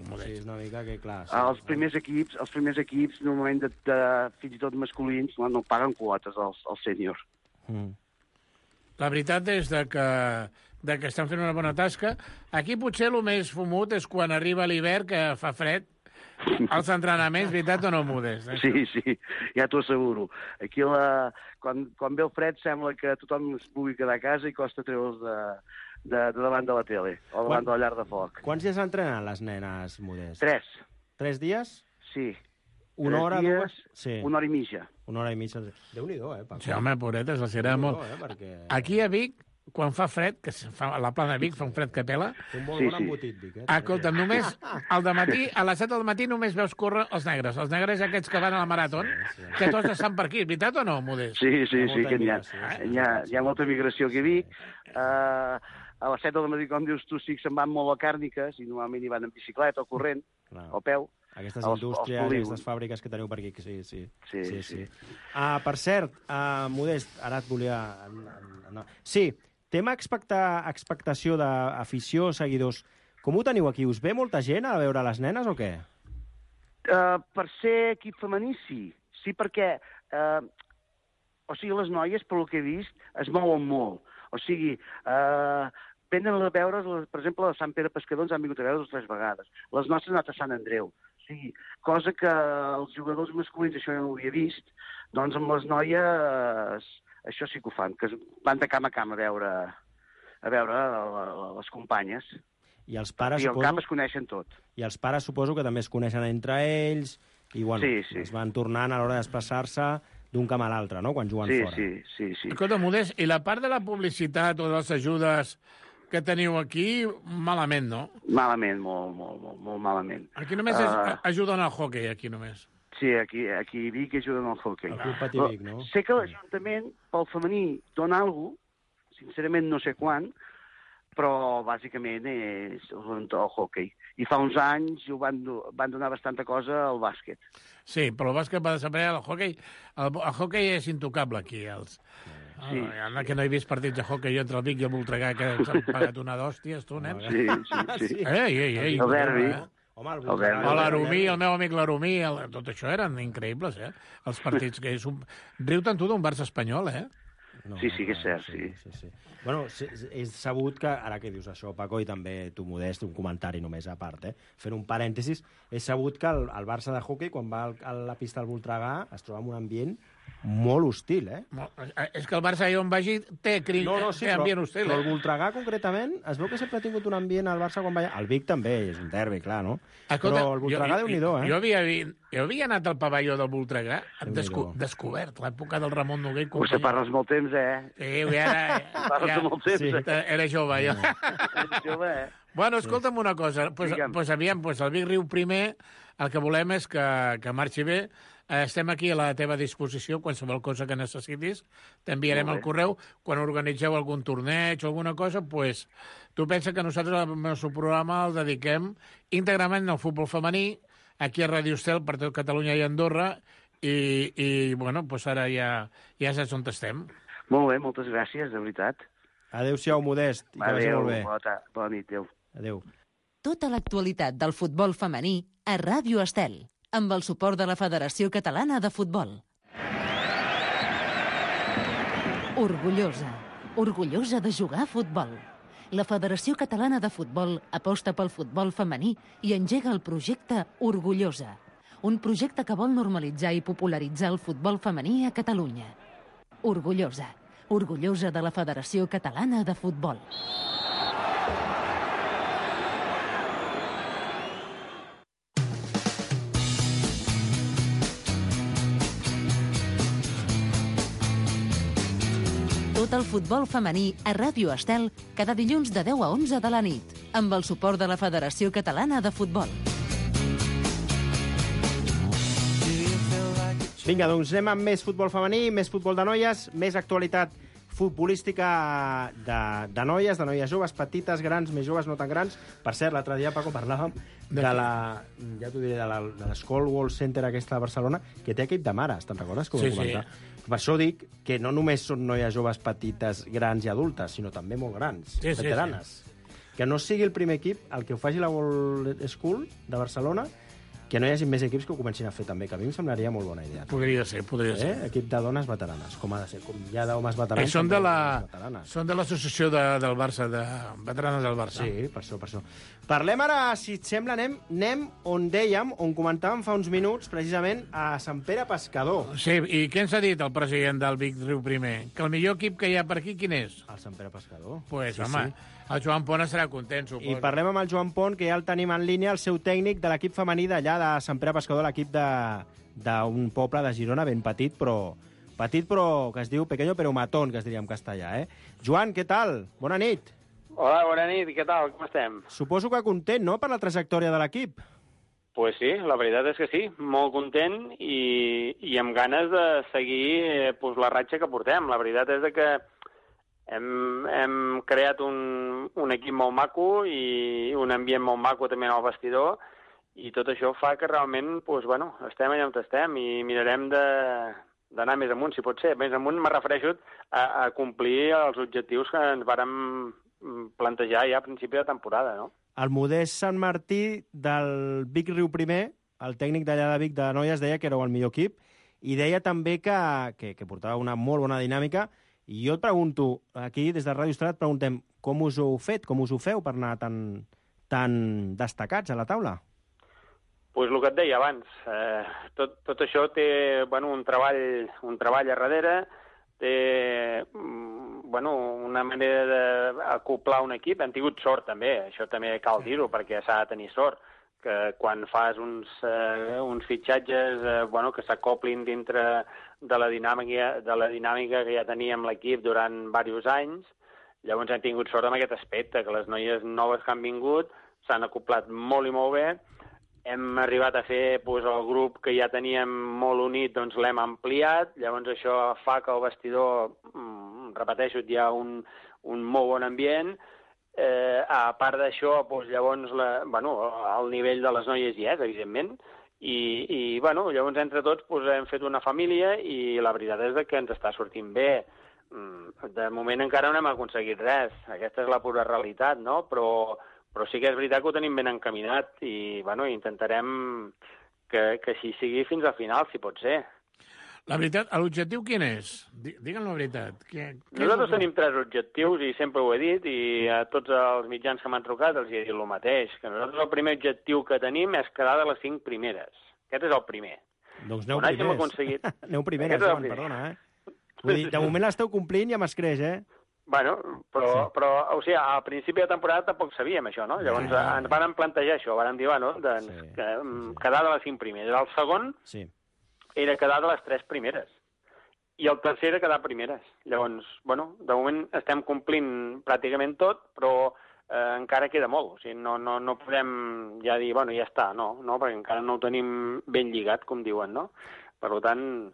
Modest. Sí, és una mica que, clar... Els primers equips, normalment, fins i tot masculins, no paguen quotes als sèniors. La veritat és que estan fent una bona tasca. Aquí potser el més fumut és quan arriba l'hivern, que fa fred, als entrenaments, veritat o no, Modest? Sí, ja t'ho asseguro. Aquí, quan ve el fred, sembla que tothom es pugui quedar a casa i costa treure'ls de davant de la tele, o davant de la llar de foc. Quants dies entrenen les nenes, Modest? 3. 3 dies? Sí. Una hora, dues? Sí. Una hora i mitja. Una hora i mitja. Déu-n'hi-do, Paco? Sí, home, pobretes, la serà molt... Perquè... Aquí a Vic, quan fa fred, que a la plana de Vic fa un fred que pela... Un bon embotit, Vic, Escolta'm, només al dematí, a les 7 del matí només veus córrer els negres. Els negres aquests que van a la marató, que tots estan per aquí. Veritat o no, Modest? Sí, que hi ha molta migració aquí a Vic. A les 7 del matí, com dius tu, sí que se'n van molt a càrniques, i normalment hi van en bicicleta o corrent, o a peu. Aquestes indústries, aquestes fàbriques que teniu per aquí, sí. Per cert, Modest, ara et volia... Sí, tema expectació d'afició, seguidors. Com ho teniu aquí? Us ve molta gent a veure les nenes o què? Per ser equip femení, sí. Sí, perquè... les noies, pel que he vist, es mouen molt. O sigui, venen a veure, per exemple, a Sant Pere Pescador ens han vingut a veure 2 o 3 vegades. Les nostres han anat a Sant Andreu. O sigui, cosa que els jugadors masculins, això ja no ho havia vist, doncs amb les noies això sí que ho fan, que van de camp a camp a veure les companyes. I els pares, I al camp es coneixen tot. I els pares suposo que també es coneixen entre ells i, bueno, es van tornant a l'hora de desplaçar-se d'un camp a l'altre, no?, quan juguen fora. Sí. Escolta, Modest, i la part de la publicitat o de les ajudes que teniu aquí, malament, no? Malament, molt malament. Aquí només ajuden al hoquei, aquí només. Sí, aquí a Vic ajuden al hoquei. El Club Patí Vic, no? Sé que l'Ajuntament, pel femení, dona alguna cosa, sincerament no sé quan, però bàsicament és el hoquei. I fa uns anys van donar bastanta cosa al bàsquet. Sí, però el bàsquet va desaparèixer. El hoquei és intocable aquí. Sí. Que no he vist partits de hoquei entre el Vic i el Voltregà que s'han pagat una d'hòsties, tu, nen? Sí. Ei. El derbi. Home, l'Arumí, el meu amic l'Arumí, tot això eren increïbles, Els partits que és riu-te'n tu d'un Barça espanyol, No, sí, que és cert, sí. Bueno, és sabut que, ara que dius això, Paco, i també tu, Modest, un comentari només a part, fent un parèntesis, és sabut que el Barça de hoquei, quan va a la pista del Voltregà, es troba en un ambient molt hostil, És que el Barça, on vagi, té ambient hostil. Però el Voltregà, concretament, es veu que sempre ha tingut un ambient al Barça quan va... El Vic també, és un derbi, clar, no? Escolta, però el Voltregà, Déu-n'hi-do, Jo havia anat al pavelló del Voltregà, descobert l'època del Ramon Noguer. Vostè parles molt temps, Sí, parles molt temps, Era jove, ja. Era jove, Bueno, escolta'm una cosa. Aviam, el Vic Riu primer, el que volem és que marxi bé. Estem aquí a la teva disposició, qualsevol cosa que necessitis. T'enviarem el correu. Quan organitzeu algun torneig o alguna cosa, pues, tu pensa que nosaltres el nostre programa el dediquem íntegrament al futbol femení, aquí a Radio Estel, per tot Catalunya i Andorra, i bueno, pues ara ja saps on estem. Molt bé, moltes gràcies, de veritat. Adéu-siau, Modest. Adéu, bona nit, adéu. Adéu. Tota l'actualitat del futbol femení a Ràdio Estel, amb el suport de la Federació Catalana de Futbol. Orgullosa de jugar a futbol. La Federació Catalana de Futbol aposta pel futbol femení i engega el projecte Orgullosa, un projecte que vol normalitzar i popularitzar el futbol femení a Catalunya. Orgullosa de la Federació Catalana de Futbol. Tot el futbol femení a Ràdio Estel cada dilluns de 10 a 11 de la nit, amb el suport de la Federació Catalana de Futbol. Vinga, doncs anem amb més futbol femení, més futbol de noies, més actualitat futbolística de noies joves, petites, grans, més joves, no tan grans. Per cert, l'altre dia, Paco, parlàvem de l'School Center aquesta de Barcelona, que té equip de mares, te'n recordes? Com Sí. Per això dic que no només són noies joves petites, grans i adultes, sinó també molt grans, veteranes. Que no sigui el primer equip el que ho faci la World School de Barcelona, que no hi hagi més equips que ho comencin a fer també, que a mi em semblaria molt bona idea. Podria ser. Equip de dones veteranes, com ha de ser, com hi ha d'homes veterans. Són de l'associació del Barça, de veteranes del Barça. Sí, per això. Parlem ara, si et sembla, anem on dèiem, on comentàvem fa uns minuts, precisament, a Sant Pere Pescador. Sí, i què ens ha dit el president del Vic Riu primer? Que el millor equip que hi ha per aquí, quin és? El Sant Pere Pescador. Pues, home, el Joan Pont estarà content, suposo. I parlem amb el Joan Pont, que ja el tenim en línia, el seu tècnic de l'equip femení d'allà de Sant Pere Pescador, l'equip d'un poble de Girona ben petit, però que es diu Pequeño pero Matón, que es diria en castellà, Joan, què tal? Bona nit. Hola, bona nit, què tal? Com estem? Suposo que content, no?, per la trajectòria de l'equip. Pues sí, la veritat és que sí, molt content i amb ganes de seguir la ratxa que portem. La veritat és que hem creat un equip molt maco i un ambient molt maco també en el vestidor i tot això fa que realment estem allà on estem i mirarem d'anar més amunt, si pot ser. Més amunt me refereixo a complir els objectius que ens vàrem plantejar ja a principi de temporada, no? El Modest Sant Martí del Vic Riu primer, el tècnic d'allà de Vic de noies, deia que éreu el millor equip i deia també que portava una molt bona dinàmica. I jo et pregunto, aquí des de Ràdio Estel et preguntem com us ho heu fet, com us ho feu per anar tan destacats a la taula? Pues el que et deia abans, tot això té un treball a darrere, té una manera d'acoplar un equip. Hem tingut sort també, això també cal dir-ho, perquè s'ha de tenir sort, que quan fas uns fitxatges que s'acoplin dintre de la dinàmica que ja teníem l'equip durant diversos anys Llavors hem tingut sort amb aquest aspecte, que les noies noves que han vingut s'han acoplat molt i molt bé. Hem arribat a fer el grup que ja teníem molt unit, doncs l'hem ampliat. Llavors això fa que el vestidor, repeteixo, hi ha un molt bon ambient. A part d'això, llavors el nivell de les noies hi és, evidentment. I llavors entre tots hem fet una família i la veritat és que ens està sortint bé. De moment encara no hem aconseguit res. Aquesta és la pura realitat, no? Però sí que és veritat que ho tenim ben encaminat i intentarem que així sigui fins al final, si pot ser. La veritat, l'objectiu quin és? Digue'm la veritat. Nosaltres tenim 3 objectius i sempre ho he dit i a tots els mitjans que m'han trucat els he dit el mateix, que nosaltres el primer objectiu que tenim és quedar de les 5 primeres. Aquest és el primer. Doncs aneu primers. Aneu primeres, Joan, perdona, Vull dir, de moment l'esteu complint i amb escreix, Bueno, però o sigui, al principi de temporada tampoc sabíem això, no? Llavors ens van plantejar això, van dir, quedar de les 5 primeres. El segon era quedar de les 3 primeres. I el tercer era quedar primeres. Llavors, de moment estem complint pràcticament tot, però encara queda molt. O sigui, no podem ja dir, ja està, no, perquè encara no ho tenim ben lligat, com diuen, no? Per tant,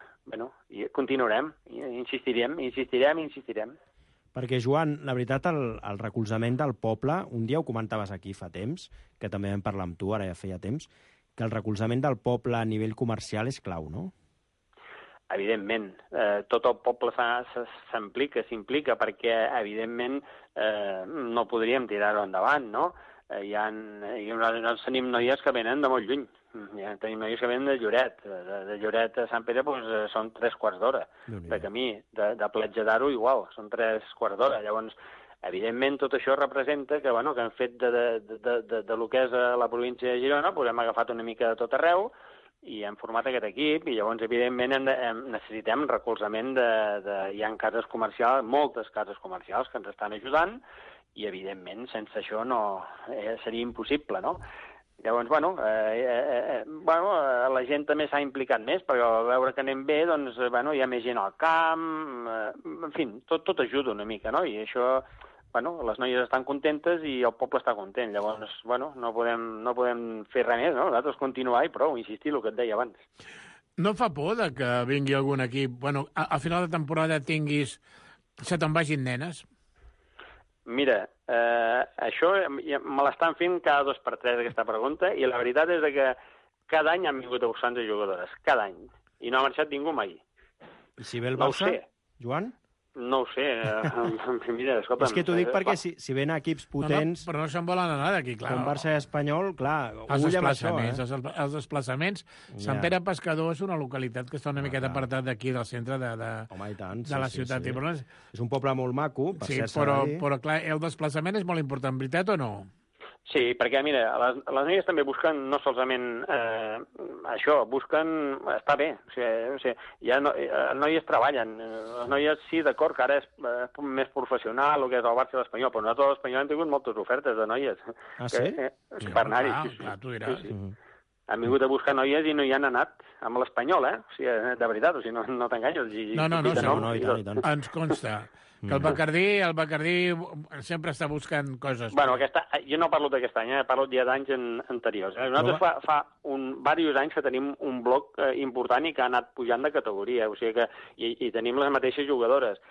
continuarem, insistirem. Perquè, Joan, la veritat, el recolzament del poble, un dia ho comentaves aquí fa temps, que també vam parlar amb tu, ara ja feia temps, que el recolzament del poble a nivell comercial és clau, no? Evidentment. Tot el poble s'implica, perquè, evidentment, no podríem tirar-ho endavant, no? Nosaltres tenim noies que venen de molt lluny. Tenim noies que venen de Lloret. De Lloret a Sant Pere són 3 quarts d'hora de camí. De Platja d'Aro igual, són 3 quarts d'hora. Llavors, evidentment, tot això representa que hem fet de lo que és la província de Girona, hem agafat una mica de tot arreu i hem format aquest equip i llavors, evidentment, necessitem recolzament hi ha cases comercials, moltes cases comercials que ens estan ajudant i, evidentment, sense això seria impossible, no? Llavors, la gent també s'ha implicat més, perquè a veure que anem bé, doncs, hi ha més gent al camp, en fi, tot ajuda una mica, no? I això, les noies estan contentes i el poble està content. Llavors, no podem fer res més, no? Nosaltres continuar i prou, insistir, el que et deia abans. No fa por que vingui algun equip, al final de temporada se te'n vagin nenes? Mira, això me l'estan fent cada 2 per 3 aquesta pregunta i la veritat és que cada any han vingut a buscar jugadores, cada any, i no ha marxat ningú mai. I si ve el Barça, Joan? No ho sé. Mira, escolta'm... És que t'ho dic perquè si ven equips potents... Però no se'n volen anar d'aquí, clar. Com Barça i Espanyol, clar, els desplaçaments, els desplaçaments. Sant Pere Pescador és una localitat que està una miqueta apartat d'aquí, del centre de la ciutat. És un poble molt maco, per ser però clar, el desplaçament és molt important, veritat o no? Sí, perquè, mira, les noies també busquen no solament això, busquen estar bé. O sigui, noies treballen. Les noies, sí, d'acord, que ara és més professional, el que és el Barça i l'Espanyol, però nosaltres a l'Espanyol hem tingut moltes ofertes de noies. Ah, sí? Per anar-hi. Clar, tu diràs. Han vingut a buscar noies i no hi han anat amb l'Espanyol, O sigui, de veritat, o sigui, no t'enganyes. No, i tant. Ens consta que el Bacardí sempre està buscant coses. Bueno, jo no parlo d'aquest any, parlo ja d'anys anteriors. Nosaltres fa diversos anys que tenim un bloc important i que ha anat pujant de categoria, o sigui que i tenim les mateixes jugadores,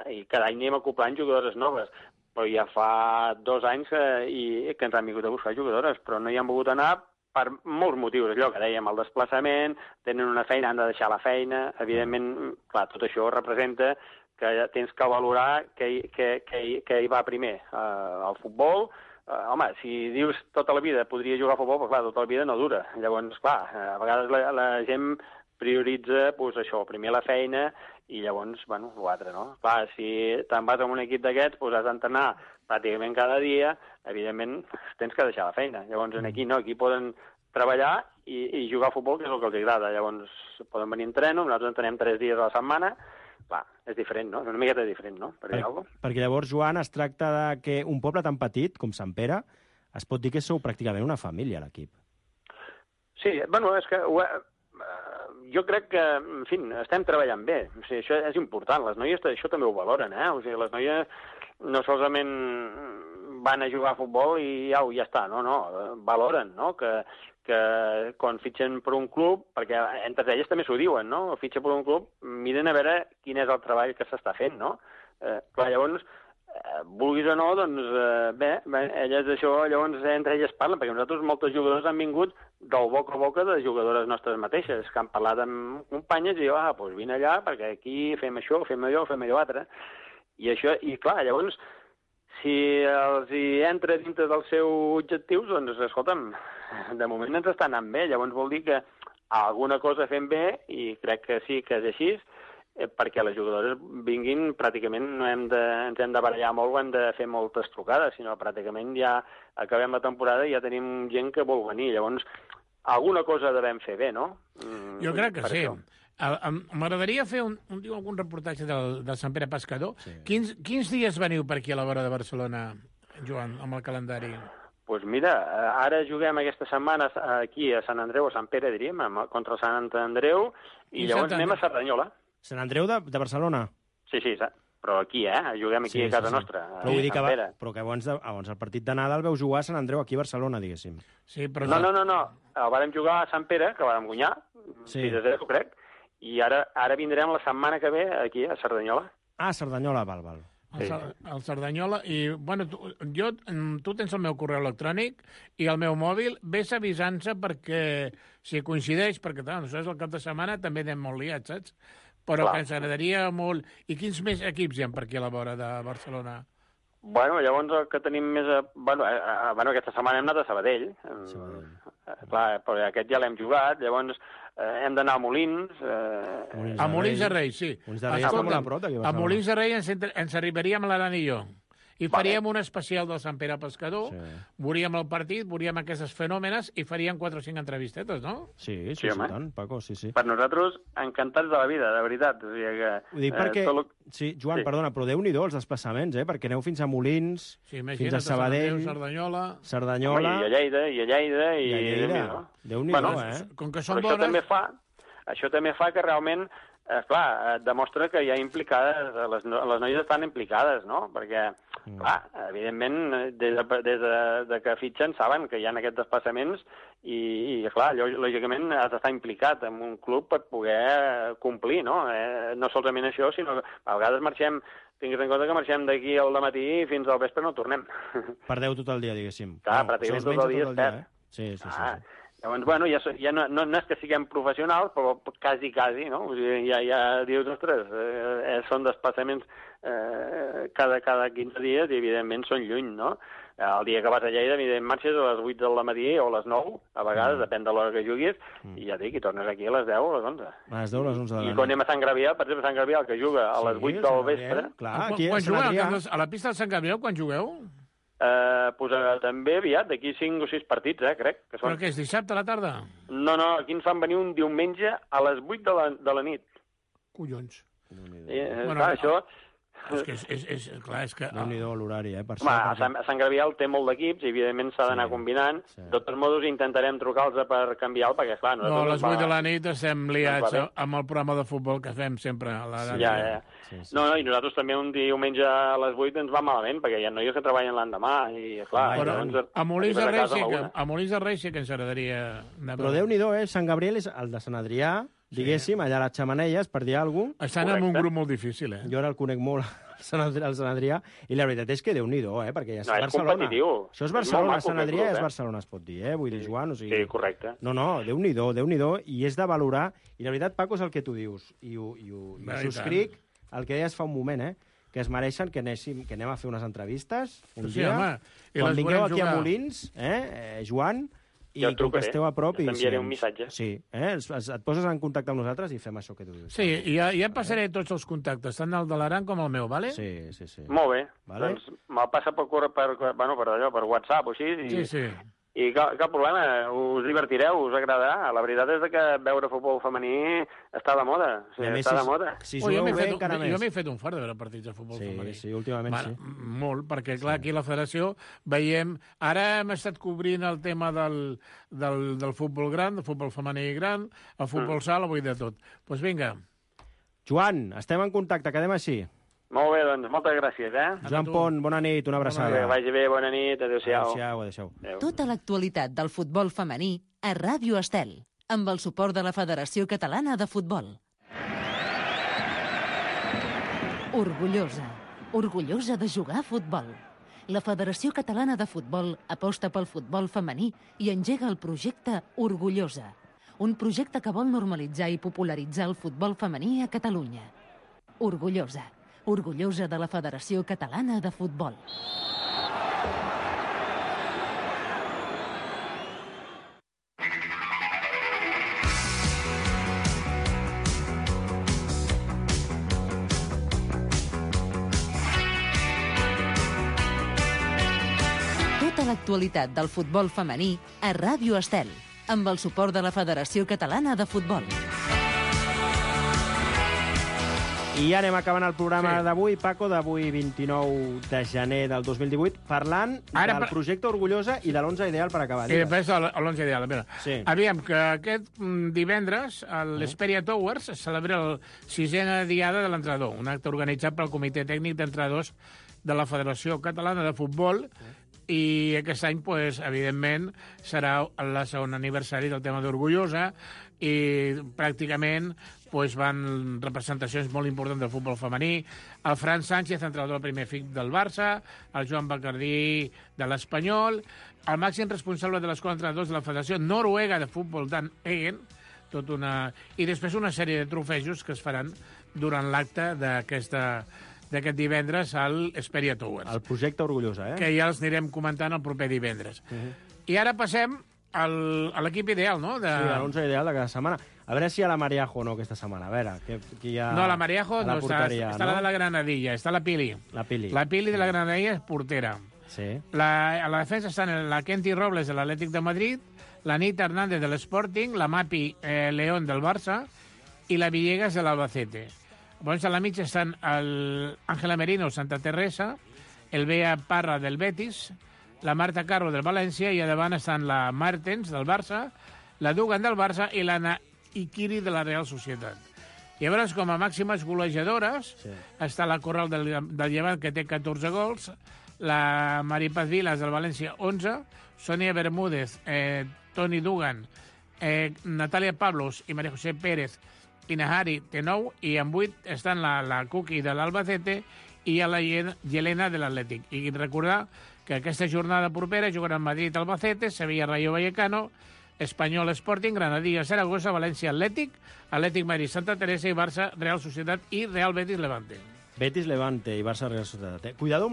i cada any anem acoplant jugadores noves, però ja fa 2 anys que ens han vingut a buscar jugadores, però no hi han volgut anar per molts motius, allò que dèiem, el desplaçament, tenen una feina, han de deixar la feina, evidentment, clar, tot això representa que tens que valorar què hi va primer, el futbol. Home, si dius tota la vida podria jugar a futbol, però clar, tota la vida no dura. Llavors, clar, a vegades la gent prioritza això, primer la feina i llavors, l'altre, no? Clar, si te'n vas amb un equip d'aquests, has d'entrenar pràcticament cada dia, evidentment tens que deixar la feina. Llavors, aquí no, aquí poden treballar i jugar a futbol, que és el que els agrada. Llavors, poden venir a entreno, nosaltres entrenem 3 dies a la setmana. Clar, és diferent, no? És una miqueta diferent, no? Perquè llavors, Joan, es tracta de que un poble tan petit com Sant Pere es pot dir que sou pràcticament una família, l'equip. Sí, és que jo crec que, en fi, estem treballant bé. O sigui, això és important. Les noies això també ho valoren, O sigui, les noies no solament van a jugar a futbol i ja està, no, valoren, no?, que quan fitxen per un club, perquè entre elles també s'ho diuen, no?, fitxa per un club, miren a veure quin és el treball que s'està fent, no? Clar, llavors, vulguis o no, doncs bé, elles això, llavors entre elles parlen, perquè nosaltres moltes jugadores han vingut del boca a boca de jugadores nostres mateixes, que han parlat amb companyes i doncs vine allà, perquè aquí fem això, fem allò altre. I això, i clar, llavors, si els hi entra dintre dels seus objectius, doncs, escolta'm, de moment ens està anant bé, llavors vol dir que alguna cosa fem bé, i crec que sí que és així, perquè les jugadores vinguin, pràcticament no ens hem de barallar molt o hem de fer moltes trucades, sinó pràcticament ja acabem la temporada i ja tenim gent que vol venir. Llavors, alguna cosa devem fer bé, no? Jo crec que sí. M'agradaria fer algun reportatge del Sant Pere Pescador. Sí. Quins dies veniu per aquí a la vora de Barcelona, Joan, amb el calendari? Doncs mira, ara juguem aquesta setmana aquí a Sant Andreu, a Sant Pere, diríem, contra Sant Andreu, i llavors anem a Cerdanyola. Sant Andreu de Barcelona? Sí, però aquí, juguem aquí a casa nostra. Però vull dir que abans el partit d'anada el veu jugar a Sant Andreu, aquí a Barcelona, diguéssim. Sí, però... No, el vàrem jugar a Sant Pere, que vàrem guanyar, 6-0, crec, i ara vindrem la setmana que ve aquí a Cerdanyola. Ah, Cerdanyola, val. El Cerdanyola, i, bueno, tu tens el meu correu electrònic i el meu mòbil, ves avisant-se perquè, si coincideix, perquè, clar, nosaltres el cap de setmana també anem molt liats, saps? Però que ens agradaria molt... I quins més equips hi ha per aquí a la vora de Barcelona? Bueno, llavors el que tenim més... Bueno, aquesta setmana hem anat a Sabadell. Clar, però aquest ja l'hem jugat, llavors hem d'anar a Molins. A Molins de Rei, sí. A Molins de Rei ens arribaríem a l'Aran i jo. I faríem un especial del Sant Pere Pescador, veuríem el partit, veuríem aquestes fenòmenes i faríem 4 o 5 entrevistetes, no? Sí, tant, Paco, sí. Per nosaltres, encantats de la vida, de veritat. O sigui que, ho dic perquè... Sí, Joan, perdona, però Déu-n'hi-do els desplaçaments, perquè aneu fins a Molins, fins a Sabadell, Cerdanyola... I a Lleida, Déu-n'hi-do, Com que són bones... Això també fa que realment... clar, demostra que hi ha implicades, les noies estan implicades, no? Perquè, clar, evidentment, des de que fitxen saben que hi ha aquests desplaçaments i clar, lògicament has d'estar implicat en un club per poder complir, no? No solament això, sinó que a vegades marxem, tinguis en compte que marxem d'aquí al dematí i fins al vespre no tornem. Perdeu tot el dia, diguéssim. Clar, pràcticament tot el dia és perd. Sí. Llavors, bueno, ja no és que siguem professionals, però quasi, no? O sigui, ja dius, ostres, són desplaçaments cada 15 dies i, evidentment, són lluny, no? El dia que vas a Lleida, evidentment, marxes a les 8 del matí o a les 9, a vegades, depèn de l'hora que juguis, i ja dic, i tornes aquí a les 10 o a les 11. A les 10 o a les 11 de la nit. I quan anem a Sant Gabriel, per exemple, Sant Gabriel, que juga a les 8 del vespre... Clar, aquí a Sant Adrià... A la pista de Sant Gabriel, quan jugueu? També aviat, d'aquí 5 o 6 partits, crec. Que són... Però què, és dissabte a la tarda? No, aquí ens fan venir un diumenge a les 8 de la nit. Collons. Clar, això... És que... Déu-n'hi-do l'horari, per cert. A Sant Gabriel té molt d'equips i, evidentment, s'ha d'anar combinant. De tots modos, intentarem trucar-los per canviar-lo, perquè, clar... No, a les 8 de la nit estem liats amb el programa de futbol que fem sempre a la ràdio. No, i nosaltres també un diumenge a les 8 ens va malament, perquè hi ha noies que treballen l'endemà i, clar... A Molins de Rei sí que ens agradaria... Però Déu-n'hi-do, Sant Gabriel és el de Sant Adrià, diguéssim, allà a les xemeneies, per dir alguna cosa. Estan en un grup molt difícil, Jo ara el conec molt, el Sant Adrià, i la veritat és que Déu-n'hi-do, perquè ja és Barcelona. Competitiu. Això és Barcelona, Sant Adrià és Barcelona, es pot dir, vull dir, Joan, o sigui... Sí, correcte. No, Déu-n'hi-do, i és de valorar, i la veritat, Paco, és el que tu dius, i ho subscric, el que deies fa un moment, que es mereixen que anem a fer unes entrevistes un dia, quan vingueu aquí a Molins, Joan... I com que esteu a prop... T'enviaré un missatge. Sí, et poses en contacte amb nosaltres i fem això que tu dius. Sí, i ja passaré tots els contactes, tant el de l'Aran com el meu, vale? Sí. Molt bé. Doncs me'l passa per WhatsApp o així. Sí. I cap problema, us divertireu, us agradarà. La veritat és que veure futbol femení està de moda. Està de moda. Jo m'he fet un fart de veure partits de futbol femení. Sí, últimament sí. Molt, perquè clar, aquí a la federació veiem... Ara hem estat cobrint el tema del futbol gran, del futbol femení gran, el futbol sala, vull dir tot. Doncs vinga. Joan, estem en contacte, quedem així. Molt bé, doncs, moltes gràcies, Joan Pont, bona nit, una abraçada. Que vagi bé, bona nit, adéu-siau. Adéu-siau. Tota l'actualitat del futbol femení a Ràdio Estel, amb el suport de la Federació Catalana de Futbol. Orgullosa de jugar a futbol. La Federació Catalana de Futbol aposta pel futbol femení i engega el projecte Orgullosa, un projecte que vol normalitzar i popularitzar el futbol femení a Catalunya. Orgullosa de la Federació Catalana de Futbol. Tota l'actualitat del futbol femení a Ràdio Estel, amb el suport de la Federació Catalana de Futbol. I ja anem acabant el programa d'avui, Paco, d'avui 29 de gener del 2018, parlant del projecte Orgullosa i de l'11 ideal per acabar. I després l'11 ideal. Aviam, que aquest divendres a l'Hesperia Towers es celebra el 6è diada de l'entrenador, un acte organitzat pel Comitè Tècnic d'Entrenadors de la Federació Catalana de Futbol, i aquest any, evidentment, serà el segon aniversari del tema d'Orgullosa i pràcticament van representacions molt importants del futbol femení. El Fran Sánchez, entrenador del primer equip del Barça, el Joan Bacardí de l'Espanyol, el màxim responsable de l'Escola d'Entrenadors de la Federació Noruega de Futbol, Dan Egen, i després una sèrie de trofejos que es faran durant l'acte d'aquest divendres a l'Hesperia Towers. El projecte Orgullosa, Que ja els anirem comentant el proper divendres. I ara passem a l'equip ideal, no? Sí, a l'11 ideal de cada setmana. A veure si hi ha la Mariajo o no aquesta setmana. A veure, qui hi ha... No, la Mariajo no està. Està la de la Granadilla, està la Pili. La Pili. La Pili de la Granadilla és portera. Sí. A la defensa estan la Kenty Robles de l'Atlètic de Madrid, la Nita Hernández de l'Sporting, la Mapi León del Barça i la Villegas de l'Albacete. Llavors, a la mitja estan l'Àngela Merino, Santa Teresa, el Bea Parra del Betis, la Marta Carro del València, i a davant estan la Martens del Barça, la Dugan del Barça i l'Anna Ikiri de la Real Societat. I llavors, com a màximes golejadores, està la Corral del Llevant, que té 14 gols, la Maripaz Vilas del València, 11, Sonia Bermúdez, Toni Dugan, Natàlia Pablos i María José Pérez i Nahari té 9, i en 8 estan la Cuqui de l'Albacete i la Yelena de l'Atlètic. I recordar que aquesta jornada propera jugaran Madrid-Albacete, Sevilla-Rayo Vallecano, Espanyol Sporting, Granadilla Saragossa, València Atlètic, Atlètic Madrid Santa Teresa i Barça Real Societat i Real Betis Levante. Betis Levante i Barça Real Societat. Cuidado,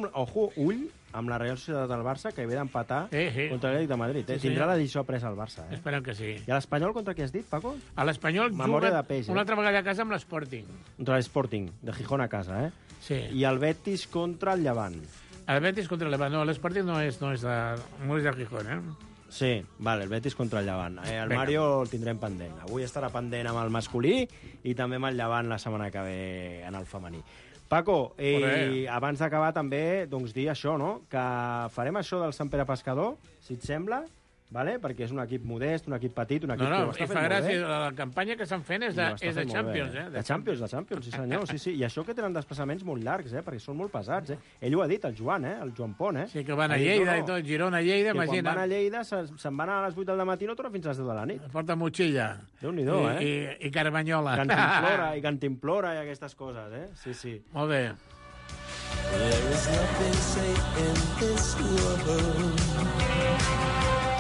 ull amb la Real Societat del Barça, que ve d'empatar contra l'Atlètic de Madrid. Tindrà la lliçó presa al Barça. Esperem que sí. I a l'Espanyol contra qui has dit, Paco? A l'Espanyol juga una altra vegada a casa amb l'Sporting. Contra l'Sporting, de Gijón a casa, Sí. I el Betis contra el Llevant. El Betis contra el Llevant. No, l'Sporting no és de Gijón, Sí, vale, el Betis contra el Llevant. El Mario el tindrem pendent. Avui estarà pendent amb el masculí i també amb el Llevant la setmana que ve en el femení. Paco, abans d'acabar també dir això, no? Que farem això del Sant Pere Pescador, si et sembla, perquè és un equip modest, un equip petit, un equip que ho està fent molt bé. Gràcia, la campanya que estan fent és de Champions. De Champions, sí senyor. Sí. I això que tenen desplaçaments molt llargs, perquè són molt pesats. Ell ho ha dit, el Joan Pont. Sí, que van a Lleida i tot, Girona, Lleida, imagina. Quan van a Lleida se'n van a les 8 del matí i no tornen fins a les 10 de la nit. Porta motxilla. Déu-n'hi-do, I carmanyola. Cantimplora i aquestes coses, Sí. Molt bé.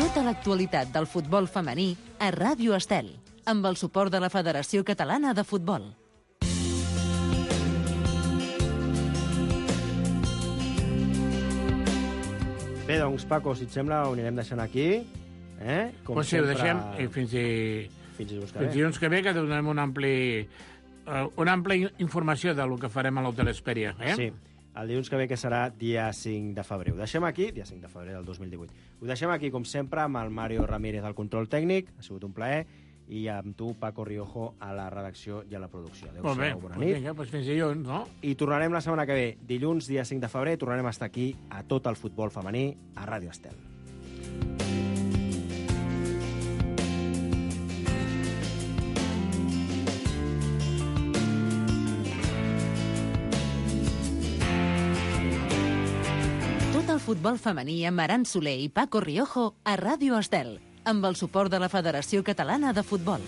Tota l'actualitat del futbol femení a Ràdio Estel, amb el suport de la Federació Catalana de Futbol. Bé, doncs, Paco, si et sembla, ho anirem deixant aquí. Com si ho deixem fins dilluns que ve, que donem una àmplia informació del que farem a l'Hotel Hesperia. Sí. El dilluns que ve, que serà dia 5 de febrer. Ho deixem aquí, dia 5 de febrer del 2018. Ho deixem aquí, com sempre, amb el Mario Ramírez al control tècnic. Ha sigut un plaer. I amb tu, Paco Riojo, a la redacció i a la producció. Molt bé, bona nit. Vinga, fins dilluns, no? I tornarem la setmana que ve, dilluns, dia 5 de febrer, tornarem a estar aquí a tot el futbol femení a Ràdio Estel. futbol femení amb Aran Soler i Paco Riojo a Ràdio Estel, amb el suport de la Federació Catalana de Futbol.